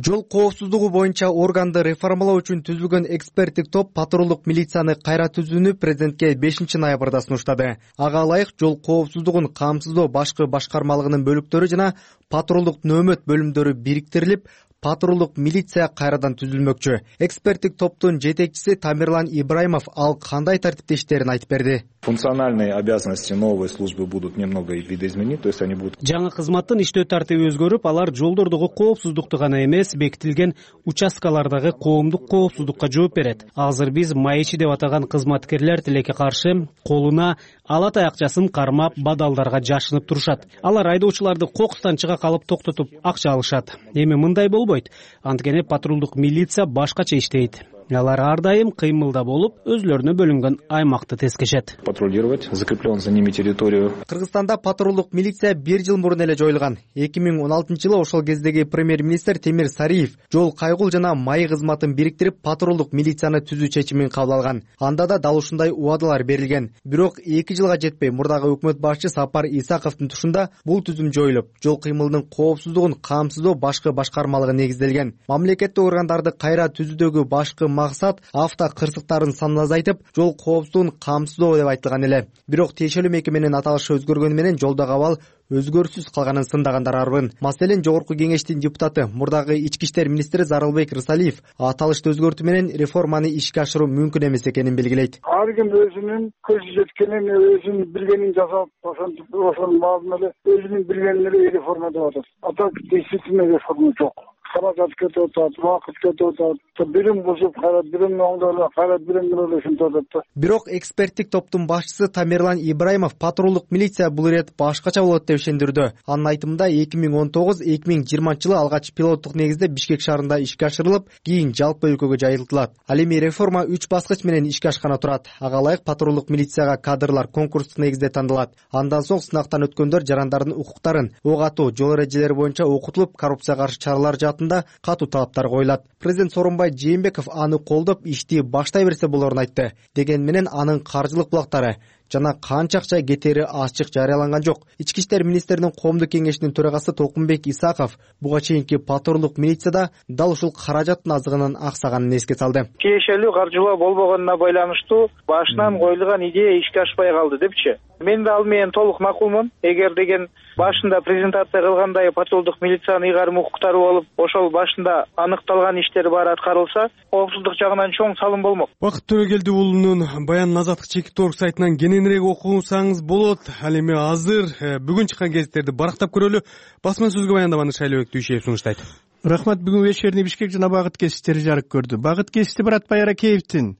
Жол коопсуздугу боюнча органды реформалоо үчүн түзүлгөн эксперттик топ патрулдук милицияны кайра түзүүнү президентке 5 ноябрда сунуштады. Ага ылайык жол коопсуздугун камсыздоо башкы башкармалыгынын бөлүктөрү жана патрулдук нөөмөт бөлүмдөрү бириктирилип, патрулдук милиция кайрадан түзүлмөкчү. Эксперттик топтун жетекчиси Тамирлан Ибраимов ал кандай тартипте иштерин айтып берди. Функциональные обязанности новой службы будут немного видоизменены, то есть они будут... Жаңы кызматтын иштөө тартиби өзгөрүп, алар жолдордогу коопсуздукту гана эмес, бекитилген участкалардагы коомдук коопсуздукка жооп берет. Азыр биз маечи деп атаган кызматкерлер тилекке каршы колуна ала таякчасын кармап, бадалдарга жашынып турушат. Алар айдоочуларды кокустан чыга калып токтотуп акча алышат. Эми мындай болбойт. Анткени патрулдук милиция башкача иштейт. Алар ар дайым кыймылда болуп, өзлөрүнө бөлүнгөн аймакты тескешет. Патрулировать закрепленную за ними территорию. Кыргызстанда патрулдук милиция 1 жыл мурун эле жоюлган. 2016-жылы ошол кездеги премьер-министр Темир Сариев жол кайгул жана май кызматын бириктирип патрулдук милицияны түзүү чечимин кабыл алган. Анда да дал ушундай убадалар берилген. Бирок 2 жылга жетпей мурдагы өкмөт башчы Сапар Исаковдун тушунда бул түзүм жоюлуп, жол кыймылынын коопсуздугун камсыздоо башкы башкармалыгы негизделген. Мамлекеттик органдарды кайра түзүүдөгү башкы максат авто кырсыктарын санын азайтып, жол коопсуздугун камсыздоо деп айтылган эле. Бирок тиешелүү мекеменин аталышы өзгөргөнү менен жолдогу абал өзгөрүүсүз калганын сындагандар арбын. Маселен, Жогорку кеңештин депутаты, мурдагы ички иштер министри Зарылбек Рысалиев аталышты өзгөртүү менен реформаны ишке ашыруу мүмкүн эмес экенин белгилейт. Ар ким өзүнүн көзү жеткенин, өзүнүн билгенин жасап, ошонун баарын эле өзүнүн билгенин эле реформа деп атат. А так действительно реформа жок. Каражат кетип атат, убакыт кетип атат, бирин бузуп кайра бирин оңдоп кайра бирин ушинтип атат да. Бирок эксперттик топтун башчысы Тамерлан Ибраимов патрулдук милиция бул ирет башкача болот деп ишендирди. Анын айтымында 2019-2020 жылы алгач пилоттук негизде Бишкек шаарында ишке ашырылып, кийин жалпы өлкөгө жайылтылат. Ал эми реформа 3 баскыч менен ишке ашканы турат. Ага ылайык патрулдук милицияга кадрлар конкурстук негизде тандалат. Андан соң сынактан өткөндөр жарандардын укуктарын, ок атуу, жол эрежелери боюнча окутулуп, коррупцияга каршы чаралар жаатында катуу талаптар коюлат. Президент Сооронбай Жээнбеков аны колдоп, ишти баштай берсе болорун айтты. Деген менен анын каржылык булактары жана канча акча кетери ачык жарыяланган жок. Ички иштер министринин коомдук кеңешинин төрагасы Толкунбек Исаков буга чейинки патрулдук милицияда дал ушул каражаттын азыгынын аксаганын эске салды. Тиешелүү каржылоо болбогонуна байланыштуу башынан коюлган идея ишке ашпай калды депчи. Мен да ал менен толук макулмун. Эгер деген башында презентация кылгандай патрулдук милициянын ыйгарым укуктары болуп, ошол башында аныкталган иштер баары аткарылса, коопсуздук жагынан чоң салым болмок. Бакыт Төрөгелди уулунун баянын Азаттык чекит орг сайтынан кененирээк окусаңыз болот. Ал эми азыр бүгүн чыккан гезиттерди барактап көрөлү. Басма сөзгө баяндаманы Шайлообек Дүйшеев сунуштайт. Рахмат. Бүгүн вечерний Бишкек жана Багыт гезиттери жарык көрдү. Багыт гезити Баратбай Аракеевдин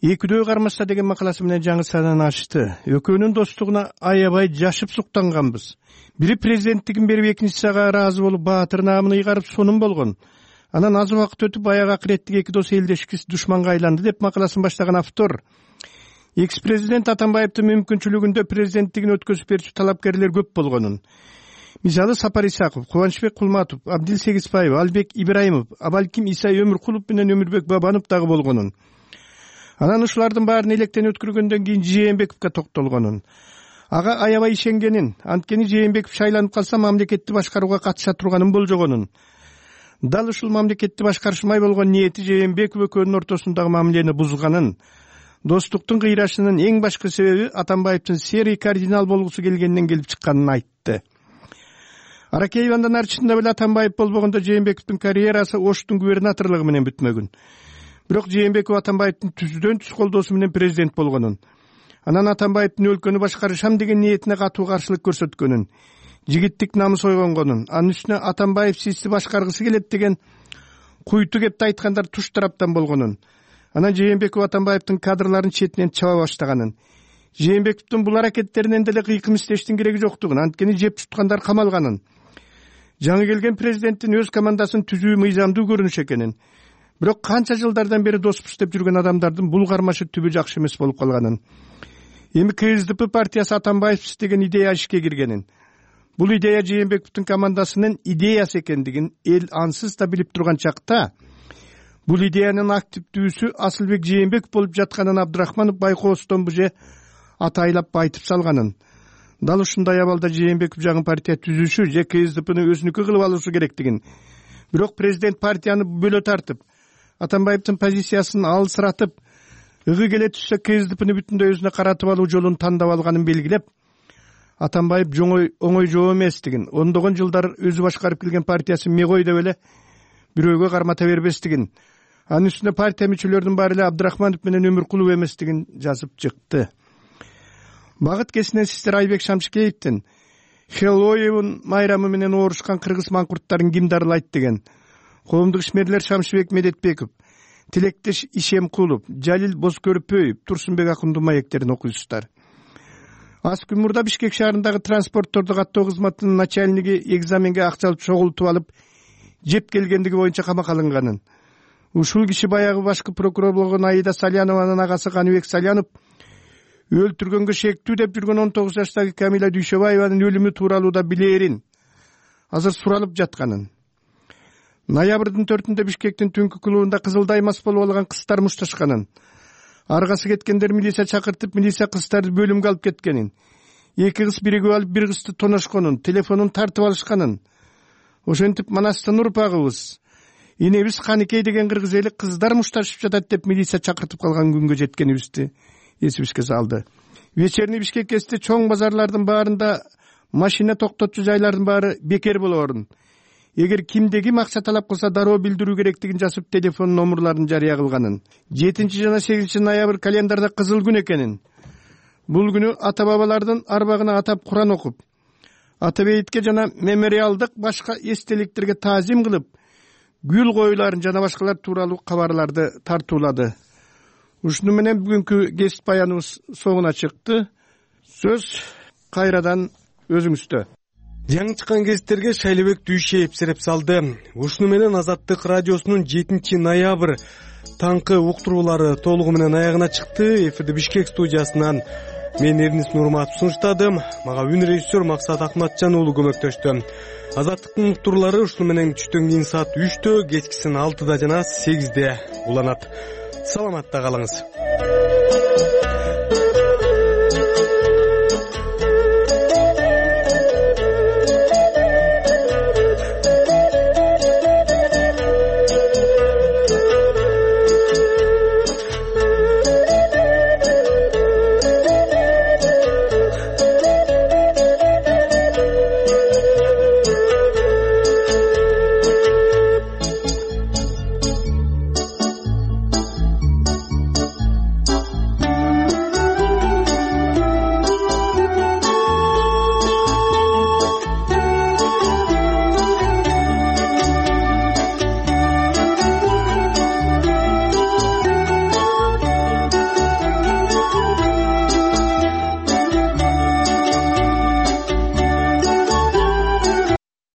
«Экидөө кармашса» деген макаласы менен жаңы сананы ачты. Экөөнүн достугуна аябай жашып суктанганбыз. Бири президенттигин берип, экинчиси ага ыраазы болуп, баатыр наамын ыйгарып сонун болгон. Анан аз убакыт өтүп аяк акыреттик эки дос элдешкис душманга айланды деп макаласын баштаган автор. Экс-президент Атамбаевдин мүмкүнчүлүгүндө президенттигин өткөзүп берүүчү талапкерлер көп болгонун. Мисалы Сапар Исаков, Кубанычбек Кулматов, Абдил Сегизбаев, Албек Ибраимов, абалким Исай Өмүркулов менен Өмүрбек Бабанов дагы болгонун. Анан ушулардын баарын электен өткөргөндөн кийин Жээнбековго токтолгонун. Ага аябай ишенгенин, анткени Жээнбеков шайланып калса мамлекетти башкарууга катыша турганын болжогонун. Дал ушул мамлекетти башкарышмай болгон ниети Жээнбеков экөөнүн ортосундагы мамилени бузганын, достуктун кыйрашынын эң башкы себеби Атамбаевдин серый кардинал болгусу келгенинен келип чыкканын айтты. Аракеев андан арчысында беле Атамбаев болбогондо Жээнбековдун карьерасы Оштун губернаторлугу менен бүтмөгүн. Бирок Жээнбеков Атамбаевдин түздөн түз колдоосу менен президент болгонун. Анан Атамбаевдин өлкөнү башкарышам деген ниетине катуу каршылык көрсөткөнүн, жигиттик намыс ойгонгонун, анын үстүнө Атамбаев сизди башкаргысы келет деген куйту кепти айткандар туш тараптан болгонун. Анан Жээнбеков Атамбаевдин кадрларын четинен чаба баштаганын, Жээнбековдун бул аракеттеринен деле кыйкым издештин кереги жоктугун, анткени жеп туткандар камалганын, жаңы келген президенттин өз командасын түзүү мыйзамдуу көрүнүш экенин, бирок канча жылдардан бери доспуз деп жүргөн адамдардын бул кармашы түбү жакшы эмес болуп калганын, эми КСДП партиясы Атамбаевсиз деген идея ишке киргенин, бул идея Жээнбековдун командасынын идеясы экендигин эл ансыз да билип турган чакта, бул идеянын активдүүсү Асылбек Жээнбеков болуп жатканын Абдырахманов Байкоостон буже атайлап айтып салганын, дал ушундай абалда Жээнбеков жаңы партия түзүүшү же КСДПны өзүнүкү кылып алуусу керектигин, бирок президент партияны бөлө тартып, Атамбаевдин позициясын алысыратып, ыгы келе түшсө КСДПны бүтүндөй өзүнө каратып алуу жолун тандап алганын белгилеп, Атамбаев оңой жоо эместигин, ондогон жылдар өзү башкарып келген партиясы мегой деп эле бирөөгө кармата бербестигин, анын үстүнө партия мүчөлөрүнүн баары эле Абдырахманов менен Өмүркулов эместигин жазып чыкты. Багыт кесинен сиздер Айбек Шамшыкеевдин Хэллоуин майрамы менен оорушкан кыргыз маңкурттарын ким дарылайт деген, коомдук ишмерлер Шамшыбек Медетбеков, Тилектеш Ишемкулов, Жалил Бозкөрпөев, Турсунбек Акундуу маектерин окуйсуздар. Аз күн мурда Бишкек шаарындагы транспортторду каттоо кызматынын начальниги экзаменге акча алып чогултуп алып, жеп келгендиги боюнча камакка алынганын, Ушул киши баягы башкы прокурор болгон Аида Салянованын агасы Каныбек Салянов өлтүргөнгө шектүү деп жүргөн 19 жаштагы Камила Дүйшөбаеванын өлүмү тууралуу да билерин, азыр суралып жатканын. Ноябрдын 4-ндө Бишкектин түнкү клубунда Кызылдай мас болуп алган кыздар мушташканын, аргасы кеткендер милиция чакыртып, милиция кыздарды бөлүмгө алып кеткенин, 2 кыз биригип алып 1 кызды тоношконун, телефонун тартып алышканын. Ошентип Манастын урпагыбыз, инебиз Каныкей деген кыргыз эли кыздар мушташып жатат деп милиция чакыртып калган күнгө жеткенибизди эсибизге салды. Вечерний Бишкекте чоң базарлардын баарында машина токтотчу жайлардын баары бекер болоорун. Эгер кимде ким акча талап кылса дароо билдирүү керектигин жазып телефон номерларын жарыя кылганын. 7 жана 8 ноябрь календарда кызыл күн экенин. Бул күнү ата бабалардын арбагына атап Куран окуп, ата бейитке жана мемориалдык башка эстеликтерге таазим кылып, гүл коюларын жана башкалар тууралуу кабарларды тартуулады. Ушуну менен бүгүнкү кесип баяныбыз соңуна чыкты. Сөз кайрадан өзүңүздө. Жаңы чыккан кесиптерге Шайлебек Дүйшеев сереп салды. Ушуну менен Азаттык радиосунун 7 ноябрь таңкы уктуруулары толугу менен аягына чыкты. Эфирде Бишкек студиясынан мен Эрнис Нурматов сунуштадым. Мага үн режиссер Максат Акматжан уулу көмөктөштү. Азаттыктын уктуруулары ушуну менен түштөн кийин саат 3-тө, кечкисин 6-да жана 8-де уланат. Саламатта калыңыз.